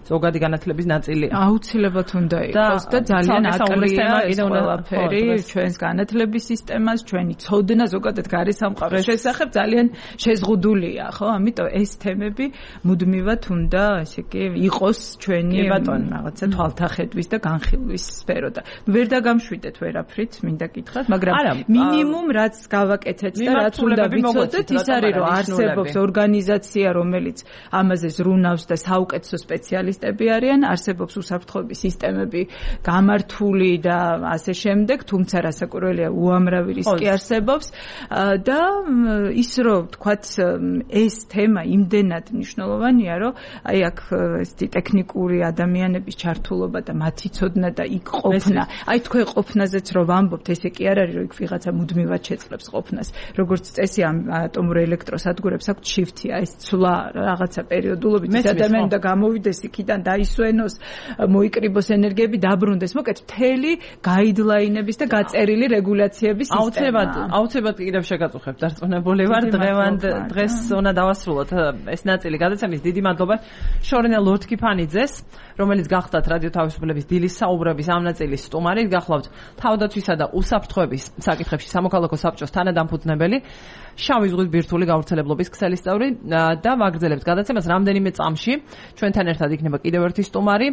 ზოგადი განათლების ნაწილი აუცილებლად უნდა იყოს და ძალიან აკლია ეს ყველაფერი ჩვენს განათლების სისტემას, ჩვენი ცოდნა ზოგადად გარესამყაროს შესახებ ძალიან შეზღუდულია, ხო? ამიტომ ეს თემები მუდმივად უნდა, ესე იგი, იყოს ჩვენი რაღაცა თვალთახედვის და განხილვის სფერო და ვერ დაგამშვიდეთ ვერაფრით, მინდა გითხრათ, მაგრამ მინიმუმ რაც გავაკეთეთ და რაც უნდა ვიცოდეთ, ის არის, რომ არსებობს ორგანიზაცია, რომელიც ამაზე ზრუნავს და საუკეთესო სპეციალისტები არიან, არსებობს უსაფრთხოების სისტემები გამართული და ასე შემდეგ, თუმცა რასაკვირველია უამრავი რისკი არსებობს და ის რომ თქვათ ეს თემა იმდენად მნიშვნელოვანია, რომ აი აქ ესეთი ტექნიკური ადამიანების ჩართულობა და მათი ცოდნა და იქ ყოფნა, აი თქვენ ყოფნაზეც რომ ვამბობთ, ესე კი არ არის, რომ იქ ვიღაცა მუდმივად შეწყებს ყოფნას. როგორც წესი ამ ატომურ ელექტროსადგურებს აქვთ შიფთია, ეს ცვლა რაღაცა პერიოდულობით ეს ადამიანი და გამოვიდეს იქიდან დაისვენოს, მოიკრიბოს ენერგიები, დაბრუნდეს. მოკეთ მთელი გაიდლაინების და გაწერილი რეგულაციების სისტემა. აუცილებლად, აუცილებლად კიდევ შეგაწუხებ, დარწმუნებული ვარ, დღევანდ დღეს უნდა დავასრულოთ ეს ნაწილი გადაცემის. დიდი მადლობა შორენა ლორთქიფანიძეს, რომელიც გახდათ რადიო თავისუფლების დილის საუბრების ამ ნაწილის სტუმარი, გახლავთ თავდაცვისა და უსაფრთხოების საკითხებში სამოქალაქო საბჭოს თანადამფუძნებელი, შავი ზღვის ბირთვული გავრცელებლობის ქსელის წევრი და ვაგრძელებთ გადაცემას რამდენიმე წამში. ჩვენთან ერთად იქნება კიდევ ერთი სტუმარი,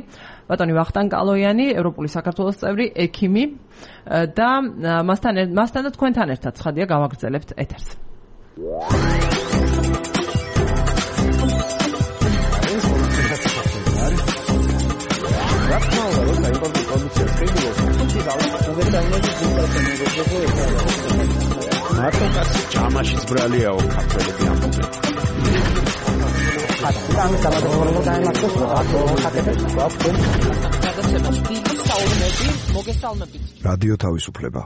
ბატონი ვახტანგ კალოიანი, ევროპული საქართველოს წევრი, ექიმი და მასთან მასთან და თქვენთან ერთად ცხადია გავაგრძელებთ ეთერს. მარტო კაცი ჯამაშიც ბრალიაო ქართველები ამბობენ. ამ სამადროულო დაემართოს აკეთებს გვაქვს გადაცემას დიდი საუბნები მოგესალმებით. რადიო თავისუფლება.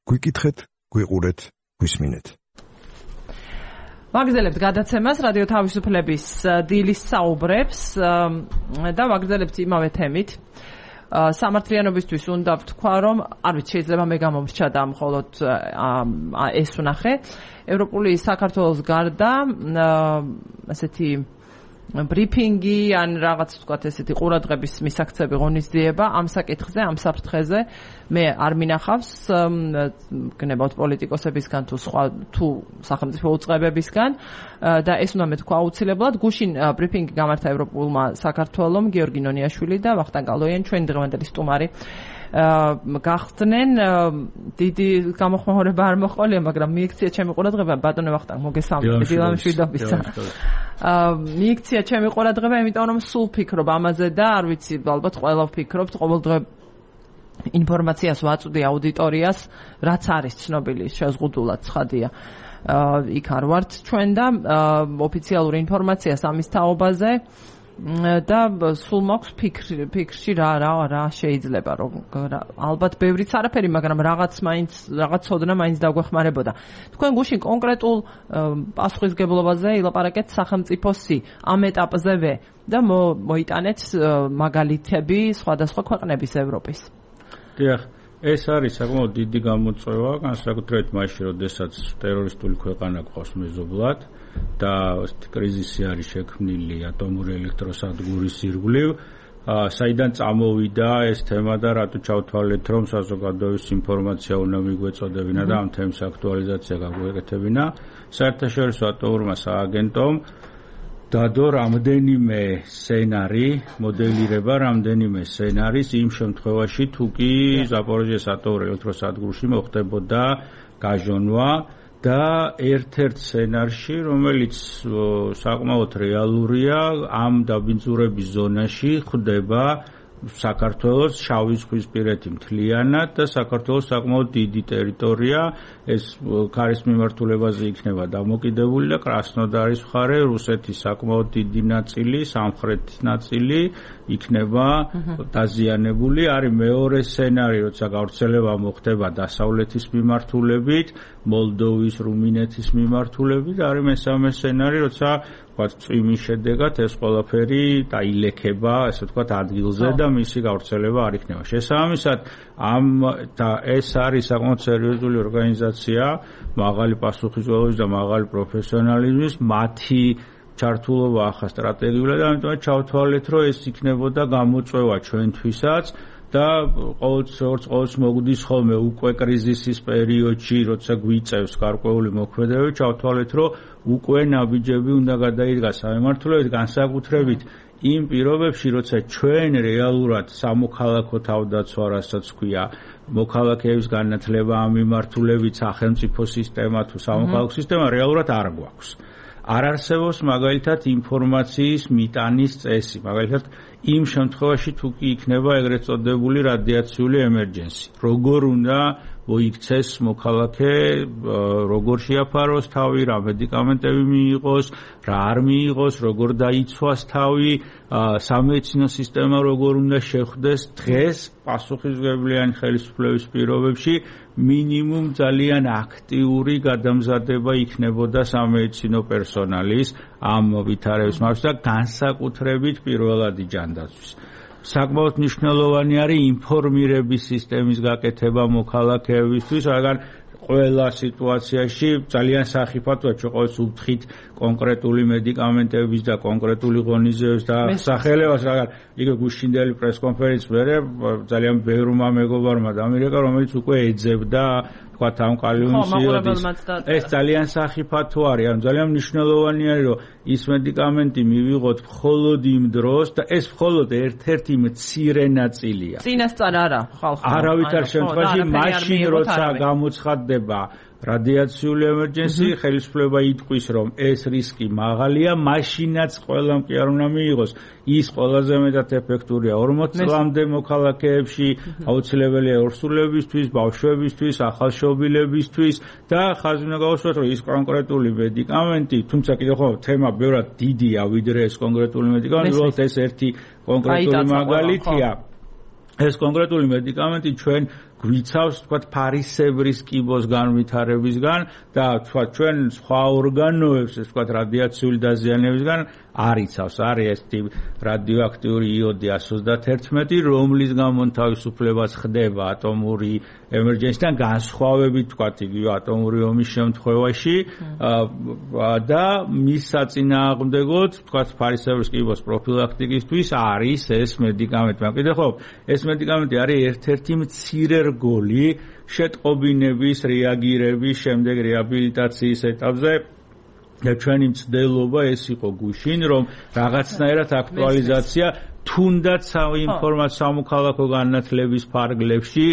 გვიკითხეთ, გვიყურეთ, გვისმინეთ. ვაგრძელებთ გადაცემას რადიო თავისუფლების დილის საუბრებს და ვაგრძელებთ იმავე თემით. სამართლიანობისთვის უნდა ვთქვა, რომ არ ვიცი, შეიძლება მე გამომრჩა და მხოლოდ ეს ვნახე. ევროპული საქართველოს გარდა ასეთი ბრიფინგი ან რაღაც ვთქვათ ესეთი ყურადღების მისაქცევი ღონისძიება ამ საკითხზე, ამ საფრთხეზე მე არ მინახავს გნებავთ პოლიტიკოსებისგან თუ სხვა თუ სახელმწიფო უწყებებისგან და ეს უნდა მეთქვა აუცილებლად. გუშინ ბრიფინგი გამართა ევროპულმა საქართველომ გიორგი ნონიაშვილი და ვახტანგ კალოიანი ჩვენი დღევანდელი სტუმარი გახდნენ. დიდი გამოხმაურება არ მოყოლია, მაგრამ მიიქცია ჩემი ყურადღება ბატონო ვახტანგ მოგესალმებით დილამშვიდობისა. მიიქცია ჩემი ყურადღება, იმიტომ რომ სულ ფიქრობ ამაზე და არ ვიცი, ალბათ ყველა ვფიქრობთ, ყოველდღე ინფორმაციას ვაწვდი აუდიტორიას, რაც არის ცნობილი შეზღუდულად ცხადია. იქ არ ვართ ჩვენ და ოფიციალური ინფორმაცია სამის თაობაზე და სულ მაქვს ფიქრი ფიქრში რა რა რა შეიძლება რომ ალბათ ბევრიც არაფერი, მაგრამ რაღაც მაინც რაღაც ცოდნა მაინც დაგვეხმარებოდა. თქვენ გუშინ კონკრეტულ პასუხისგებლობაზე ილაპარაკეთ სახელმწიფოსი ამ ეტაპზევე და მოიტანეთ მაგალითები სხვადასხვა ქვეყნების ევროპის. დიახ, ეს არის საკმაოდ დიდი გამოწვევა, განსაკუთრებით მაშინ, როდესაც ტერორისტული ქვეყანა გვყავს მეზობლად და კრიზისი არის შექმნილი ატომური ელექტროსადგურის ირგვლივ, საიდან წამოვიდა ეს თემა და რატო ჩავთვალეთ, რომ საზოგადოების ინფორმაცია უნდა მიგვეწოდებინა და ამ თემის აქტუალიზაცია გაგვეკეთებინა. საერთაშორისო ატომურმა სააგენტომ დადო რამდენიმე სცენარი, მოდელირება რამდენიმე სცენარის იმ შემთხვევაში, თუ კი ზაპოროჟიეს ატომურ ელექტროსადგურში მოხდებოდა გაჟონვა და ერთ-ერთ სცენარში, რომელიც საკმაოდ რეალურია, ამ დაბინძურების ზონაში ხდება საქართველოს შავი ზღვისპირეთი მთლიანად და საქართველოს საკმაოდ დიდი ტერიტორია, ეს ქარის მიმართულებაზე იქნება დამოკიდებული და კრასნოდარის მხარე, რუსეთის საკმაოდ დიდი ნაწილი, სამხრეთის ნაწილი იქნება დაზიანებული. არის მეორე სცენარი, როცა გავრცელება მოხდება დასავლეთის მიმართულებით, მოლდოვის, რუმინეთის მიმართულებით, არის მესამე სცენარი, როცა წვიმის შედეგად ეს ყველაფერი დაილექება, ესე ვთქვათ, ადგილზე და მისი გავრცელება არ იქნება. შესაბამისად, ამ და ეს არის საკმაოდ სერიოზული ორგანიზაცია, მაღალი პასუხისმგებლობის და მაღალი პროფესიონალიზმის, მათი ჩართულობა ახლა სტრატეგიულად, ამიტომ ჩავთვალეთ, რომ ეს იქნებოდა გამოწვევა ჩვენთვისაც და ყოველთვის ყოველთვის მოგდის ხოლმე უკვე კრიზისის პერიოდში, როცა გვიწევს გარკვეული მოქმედებები, ჩავთვალეთ, რომ უკვე ნაბიჯები უნდა გადაიდგას სამმართველოებით, განსაკუთრებით იმ პირობებში, როცა ჩვენ რეალურად სამოქალაქო თავდაცვა, რასაც ქვია, მოქალაქეების განათლება ამ მიმართულებით, სახელმწიფო სისტემა თუ სამოქალაქო სისტემა რეალურად არ გვაქვს. არ არსებობს მაგალითად ინფორმაციის მიტანის წესი, მაგალითად იმ შემთხვევაში თუ კი იქნება ეგრეთ წოდებული რადიაციული ემერჯენსი. როგორ უნდა მოიქცეს მოქალაქე, როგორ შეაფაროს თავი, რა მედიკამენტები მიიღოს, რა არ მიიღოს, როგორ დაიცვას თავი, სამედიცინო სისტემა როგორ უნდა შეხვდეს. დღეს პასუხისმგებლიანი ხელისუფლების პირობებში მინიმუმ ძალიან აქტიური გადამზადება იქნებოდა სამედიცინო პერსონალის ამ ვითარების მარშრუტს და განსაკუთრებით პირველადი ჯანდაცვის. საკმაოდ მნიშვნელოვანი არის ინფორმირების სისტემის გაკეთება მოქალაქეებისთვის, რადგან ყველა სიტუაციაში ძალიან სახიფათოა ყოველთვის უთხრით კონკრეტული მედიკამენტების და კონკრეტული ღონისძიების და სახელებას, რადგან იგივე გუშინდელი პრესკონფერენცის მერე ძალიან ბევრმა მეგობარმა დამირეკა, რომელიც უკვე ეძებდა თქვათ ამ კალიუმის იოდის. ეს ძალიან სახიფათო არის, ანუ ძალიან მნიშვნელოვანი არის, რომ ის მედიკამენტი მივიღოთ მხოლოდ იმ დროს და ეს მხოლოდ ერთ-ერთი მცირე ნაწილია. წინასწარ არა, ხალხო. არავითარ შემთხვევაში მაშინ როცა გამოცხადდება რადიაციული ემერჯენსი, ხელისუფლება იტყვის, რომ ეს რისკი მაღალია, მაშინაც ყველამ კი არ უნდა მიიღოს. ის ყველაზე მეტად ეფექტურია ორმოც წლამდე მოქალაქეებში, აუცილებელია ორსულებისთვის, ბავშვებისთვის, ახალშობილებისთვის და ხაზი უნდა გავუსვათ, რომ ის კონკრეტული მედიკამენტი, თუმცა კიდევ ხო თემა ბევრად დიდია, ვიდრე ეს კონკრეტული მედიკამენტი, უბრალოდ ეს ერთი კონკრეტული მაგალითია. ეს კონკრეტული მედიკამენტი ჩვენ გვიცავს თქვა ფარისებრის კიბოს განვითარებისგან და თქვა ჩვენ სხვა ორგანოებს ეს თქვა რადიაციული დაზიანებისგან არიცავს. არის ეს რადიოაქტიური იოდი one thirty-one, რომლის გამო თავისუფლებას ხდება ატომური ემერჯენსიდან განსხვავებით თქვა იგივე ატომური ომის შემთხვევაში და მის საწინააღმდეგოდ თქვა ფარისებრის კიბოს პროფილაქტიკისთვის არის ეს მედიკამენტი. მაგრამ კიდევ ხო ეს მედიკამენტი არის ერთ-ერთი მცირე რგოლი შეტყობინების, რეაგირების, შემდეგ რეაბილიტაციის ეტაპზე და ჩვენი მცდელობა ეს იყო გუშინ, რომ რაღაცნაირად აქტუალიზაცია თუნდაც საინფორმაციო სამოქალაქო განათლების ფარგლებში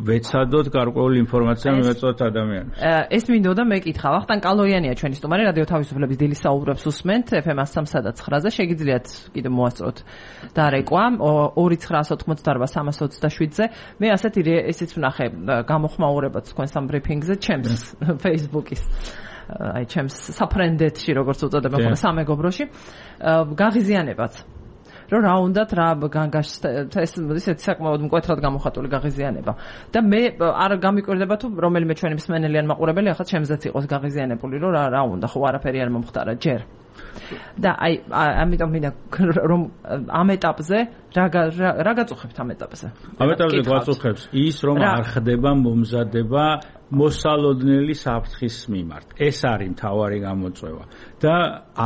ვეცადოთ გარკვეული ინფორმაცია მივეწოთ ადამიანებს. ეს მინდოდა მეკითხა, ვახტანგ კალოიანია ჩვენი სტუმარი, რადიო თავისუფლების დილის საუბრებს უსმენთ ეფ ემ one oh three და nine-ზე, შეგიძლიათ კიდე მოასწროთ დარეკვა two nine nine eight three three seven-ზე. მე ასეთი ესეც ვნახე გამოხმაურებაც თქვენს ამ ბრიფინგზე ჩემს Facebook-ის აი ჩემს საფრენდეთში როგორც უწოდებენ ხოლმე სამეგობროში გაღიზიანებაც რომ რა უნდათ რა განგაშ ეს ისეთი საკმაოდ მკვეთრად გამოხატული გაღიზიანება და მე არ გამიკვირდება თუ რომელიმე ჩვენი მსმენელი ან მაყურებელი ახლა ჩემზეც იყოს გაღიზიანებული რომ რა რა უნდა ხო არაფერი არ მომხდარა ჯერ და აი ამიტომ მინდა რომ ამ ეტაპზე რა რა გაწუხებთ ამ ეტაპზე ამ ეტაპზე გაწუხებს ის რომ არ ხდება მომზადება მოსალოდნელი საფრთხის მიმართ ეს არის მთავარი გამოწვევა და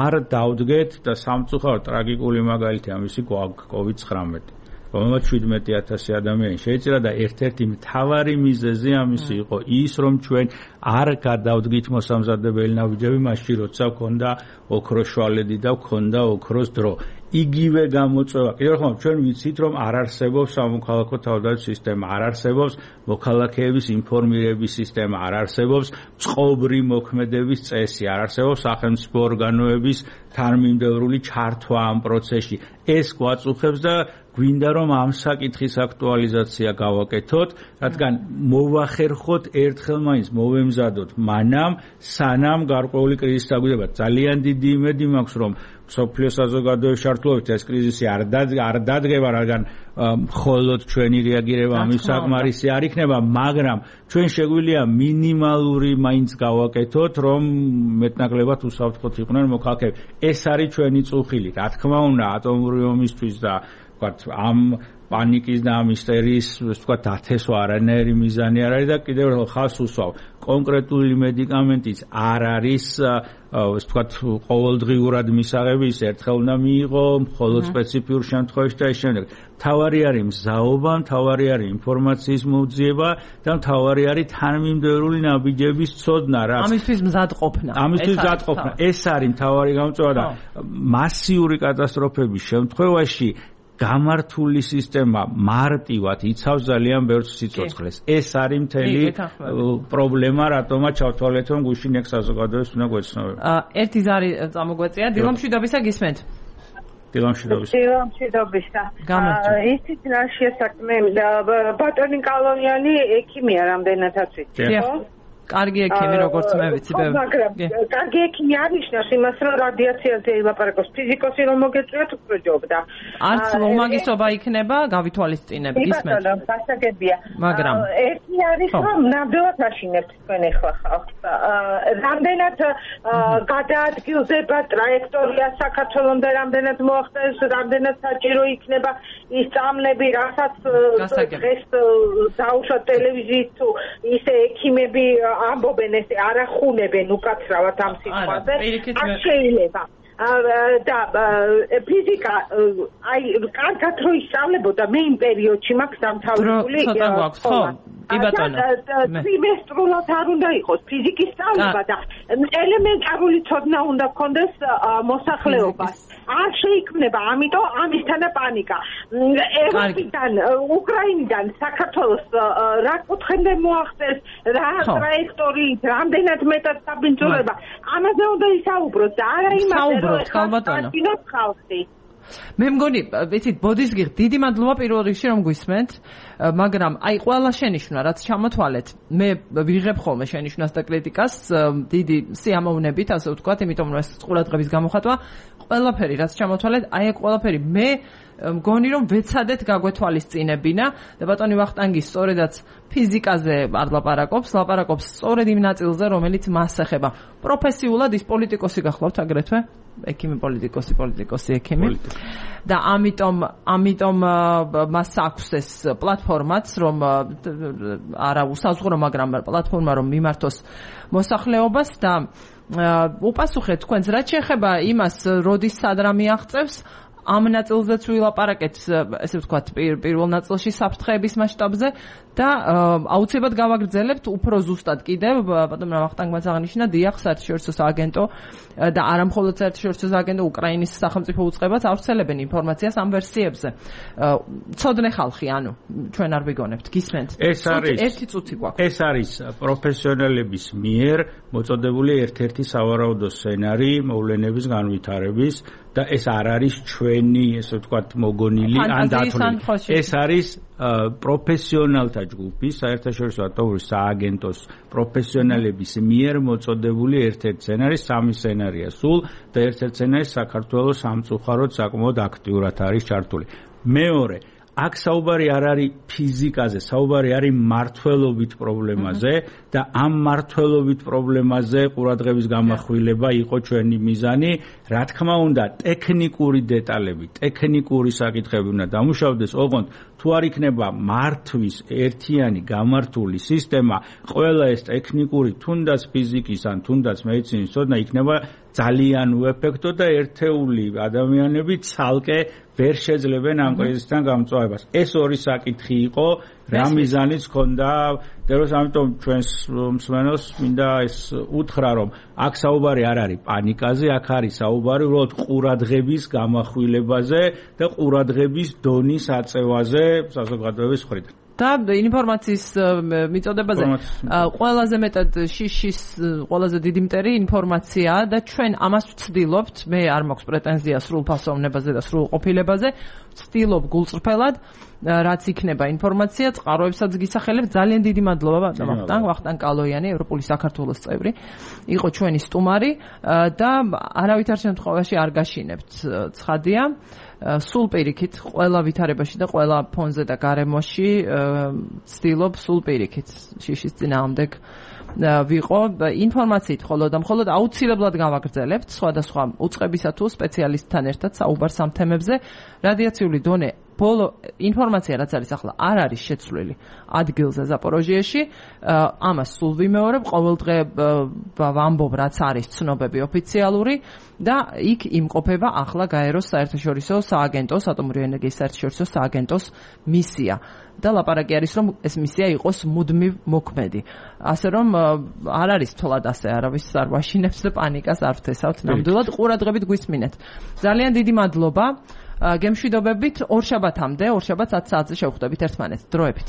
არ დავდგეთ და სამწუხაროდ ტრაგიკული მაგალითი ამისი კოვიდ nineteen რომელმაც seventy thousand ადამიანი შეეწირა და ერთ-ერთი მთავარი მიზეზი ამისი იყო ის რომ ჩვენ არ გადავდგით მოსამზადებელი ნაბიჯები მაშინ როცა ქონდა ოქროს შვალედი და ქონდა ოქროს დრო იგივე გამოწვევა კიდევ ხომ ჩვენ ვიცით რომ არ არსებობს სამოქალაქო თავდაცვის სისტემა არ არსებობს მოქალაქეების ინფორმირების სისტემა არ არსებობს წყობრი მოქმედების წესი არ არსებობს სახელმწიფო ორგანოების თანმიმდევრული ჩართვა ამ პროცესში ეს გვაწუხებს და გვინდა რომ ამ საკითხის აქტუალიზაცია გავაკეთოთ, რადგან მოვახერხოთ ერთხელ მაინც მოვემზადოთ მანამ სანამ გარკვეული კრიზისი დაგვიდება. ძალიან დიდი იმედი მაქვს რომ სოფლიო საზოგადოების ჩართულობით ეს კრიზისი არ არ დადგება, რადგან მხოლოდ ჩვენი რეაგირება ამის საკმარისი არ იქნება, მაგრამ ჩვენ შეგვიძლია მინიმალური მაინც გავაკეთოთ, რომ მეტნაკლებად უსაფრთხოდ იყვნენ მოქალაქეები. ეს არის ჩვენი წუხილი. რა თქმა უნდა, ატომური ომისთვის და ამ პანიკის და ამ ისტერიის ვთქვათ დათესვა არანაირი მიზანი არ არის და კიდევ ერთხელ ხას უსვავ კონკრეტული მედიკამენტიც არ არის ვთქვათ ყოველდღიურად მისაღები ის ერთხელ უნდა მიიღო მხოლოდ სპეციფიურ შემთხვევაში და ის შემდეგ თავარი არის მზაობა თავარი არის ინფორმაციის მოძიება და თავარი არის თანმიმდევრული ნაბიჯების ცოდნა რა ამისთვის მზადყოფნა ამისთვის მზადყოფნა ეს არის თავარი გამოწვევა და მასიური კატასტროფების შემთხვევაში გამართული სისტემა მარტივად იცავს ძალიან ბევრ სიცოცხლეს. ეს არის მთელი პრობლემა, რატომაც ჩავთვალეთ, რომ გუშინ ეგ საზოგადოებას უნდა გვეცნობება. ერთი ზარი წამოგვეწია, დილამშვიდობისა გისმენთ. დილამშვიდობისა. დილამშვიდობისა. ისიც რა შესაძლოა ბატონი კალონიანი ექიმია რამდენადაც ვიცი, ხო? კარგი ექიმი როგორც მე ვიცი ბევრი. მაგრამ კარგი ექიმი არნიშნავს იმას რომ რადიაციაზე ილაპარაკოს ფიზიკოსი რომ მოგეწვიოთ უკრჯობდა. არც უმაგისობა იქნება გავითვალისწინებ გისმენთ. ბატონო, გასაგებია. მაგრამ ერთი არის რომ ნამდვილად აშინებთ თქვენ ახლა ხალხს. რამდენად გადაადგილდება ტრაექტორია საქართველოს და რამდენად მოახდენს, რამდენად საჭირო იქნება ის წამლები, რასაც დღეს დაუშვათ ტელევიზიით თუ ისე ექიმები ამბობენ ესე არახუნებენ უკაცრავად ამ სიტყვაზე არ შეიძლება და ფიზიკა აი კარგად რო ისწავლებოდა მე იმ პერიოდში მაქვს დამთავრებული ცოტა გვაქვს ხო კი ბატონო ტრიმესტრულად არ უნდა იყოს ფიზიკის სწავლება და ელემენტარული ცოდნა უნდა გქონდეს მოსახლეობას არ შეიქმნება ამიტომ ამისთანა პანიკა ევროპიდან უკრაინიდან საქართველოს რა კუთხემდე მოახდენს რა ტრაექტორიით რამდენად მეტად საბინძურება ამაზე უნდა ისაუბროთ და არა იმაზე რომ ხალხი მე მგონი, ვიცით, ბოდისგიხ, დიდი მადლობა პირველ რიგში რომ გვისმენთ, მაგრამ აი ყველა შენიშვნა, რაც ჩამოთვალეთ, მე ვიღებ ხოლმე შენიშვნას და კრიტიკას დიდი სიამოვნებით, ასე ვთქვათ, იმიტომ რომ ეს ყურადღების გამოხატვა, ყველაფერი, რაც ჩამოთვალეთ, აი ეს ყველაფერი მე მგონი რომ ვეცადეთ გაგვეთვალისწინებინა და ბატონი ვახტანგი სწორედაც ფიზიკაზე არ ლაპარაკობს, ლაპარაკობს სწორედ იმ ნაწილზე, რომელიც მას ეხება. პროფესიულად ის პოლიტიკოსი გახლავთ აგრეთვე? ექიმი პოლიტიკოსი, პოლიტიკოსი ექიმი. და ამიტომ ამიტომ მას აქვს ეს პლატფორმაც, რომ არა უსაზღვრო, მაგრამ პლატფორმა რომ მიმართოს მოსახლეობას და უპასუხეთ თქვენს რაც შეეხება იმას, როდის სად რა მიაღწევს, ამ ნაწილზეც ვილაპარაკეთ, ესე ვთქვათ, პირველ ნაწილში საფრთხეების მასშტაბზე და აუცილებლად გავაგრძელებთ უფრო ზუსტად კიდევ, ბატონმა ვახტანგმაც აღნიშნა, დიახ, საერთაშორისო სააგენტო და არა მხოლოდ საერთაშორისო სააგენტო, უკრაინის სახელმწიფო უწყებაც ავრცელებენ ინფორმაციას ამ ვერსიებზე. ცოდნე ხალხი, ანუ ჩვენ არ ვიგონებთ, გისმენთ? ეს არის ერთი წუთი გვაქვს. ეს არის პროფესიონალების მიერ მოწოდებული ერთ-ერთი სავარაუდო სცენარი მოვლენების განვითარების და ეს არ არის ჩვენი, ესე ვთქვათ, მოგონილი ან დათვლილი. ეს არის პროფესიონალთა ჯგუფი, საერთაშორისო ატომური სააგენტოს პროფესიონალების მიერ მოწოდებული ერთ-ერთი სცენარი, სამი სცენარია სულ და ერთ-ერთი სცენარი საქართველოს სამწუხაროდ საკმაოდ აქტიურად არის ჩართული. მეორე, აქ საუბარი არ არის ფიზიკაზე, საუბარი არის მართლობით პრობლემაზე და ამ მართლობით პრობლემაზე ყურადღების გამახვილება იყო ჩვენი მიზანი. რა თქმა უნდა, ტექნიკური დეტალები, ტექნიკური საკითხები უნდა დამუშავდეს, ოღონდ თუ არ იქნება მართვის ერთიანი გამართული სისტემა, ყველა ეს ტექნიკური, თუნდაც ფიზიკის ან თუნდაც მედიცინის ცოდნა იქნება ძალიან უეფექტო და ერთეული ადამიანები ცალკე ვერ შეძლებენ ამ კრიზისთან გამწვავებას. ეს ორი საკითხი იყო, რა მიზანიც ჰქონდა, დეროს ამიტომ ჩვენს მსმენელს მინდა ეს უთხრა, რომ აქ საუბარი არ არის პანიკაზე, აქ არის საუბარი უბრალოდ ყურადღების გამახვილებაზე და ყურადღების დონის აწევაზე საზოგადოების მხრიდან. და ინფორმაციის მიწოდებაზე ყველაზე მეტად შიშის ყველაზე დიდი მტერი ინფორმაციაა და ჩვენ ამას ვცდილობთ, მე არ მაქვს პრეტენზია სრულფასოვნებაზე და სრულყოფილებაზე, ვცდილობ გულწრფელად რაც იქნება ინფორმაცია, წყაროებსაც გისახელებ. ძალიან დიდი მადლობა ბატონ ვახტანგ, ვახტანგ კალოიანი, ევროპული საქართველოს წევრი, იყო ჩვენი სტუმარი და არავითარ შემთხვევაში არ გაშინებთ, ცხადია. სულ პირიქით, ყველა ვითარებაში და ყველა ფონზე და გარემოში ვცდილობ სულ პირიქით შიშის წინააღმდეგ ვიყო ინფორმაციით მხოლოდ და მხოლოდ აუცილებლად გავაგრძელებთ სხვადასხვა უწყებისა თუ სპეციალისტთან ერთად საუბარს ამ თემებზე. რადიაციული დონე ბოლო ინფორმაცია რაც არის ახლა არ არის შეცვლილი ადგილზე ზაპოროჟიეში, ამას სულ ვიმეორებ, ყოველდღე ვამბობ რაც არის ცნობები ოფიციალური და იქ იმყოფება ახლა გაეროს საერთაშორისო სააგენტოს, ატომური ენერგიის საერთაშორისო სააგენტოს მისია და ლაპარაკი არის რომ ეს მისია იყოს მუდმივ მოქმედი. ასე რომ არ არის თოლად ასე, არავის არ ვაშინებს და პანიკას არ ვთესავთ ნამდვილად, ყურადღებით გვისმინეთ. ძალიან დიდი მადლობა. გემშვიდობებით ორშაბათამდე, ორშაბათს ათ საათზე შევხვდებით ერთმანეთს. დროებით.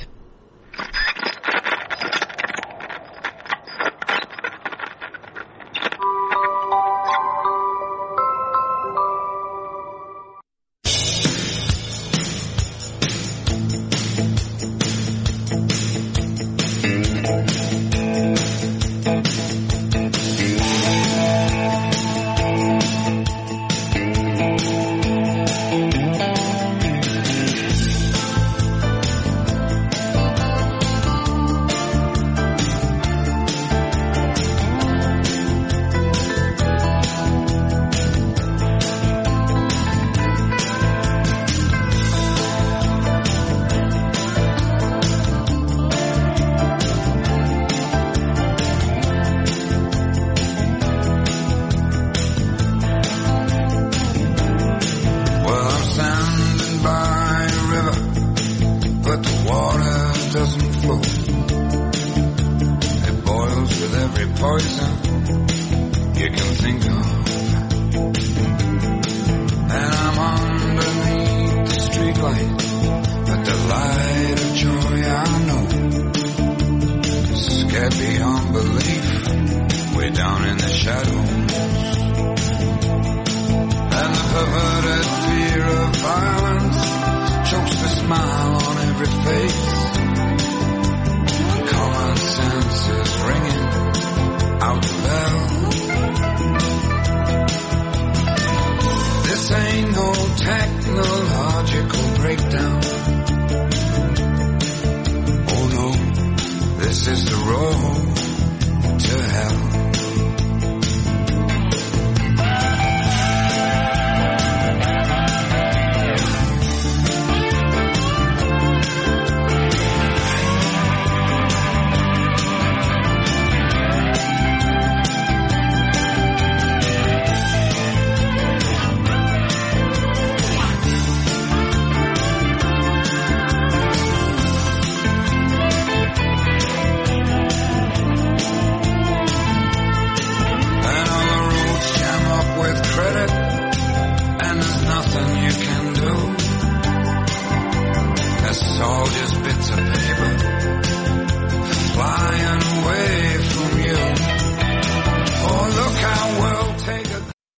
technological breakdown. Oh no, this is the road to hell.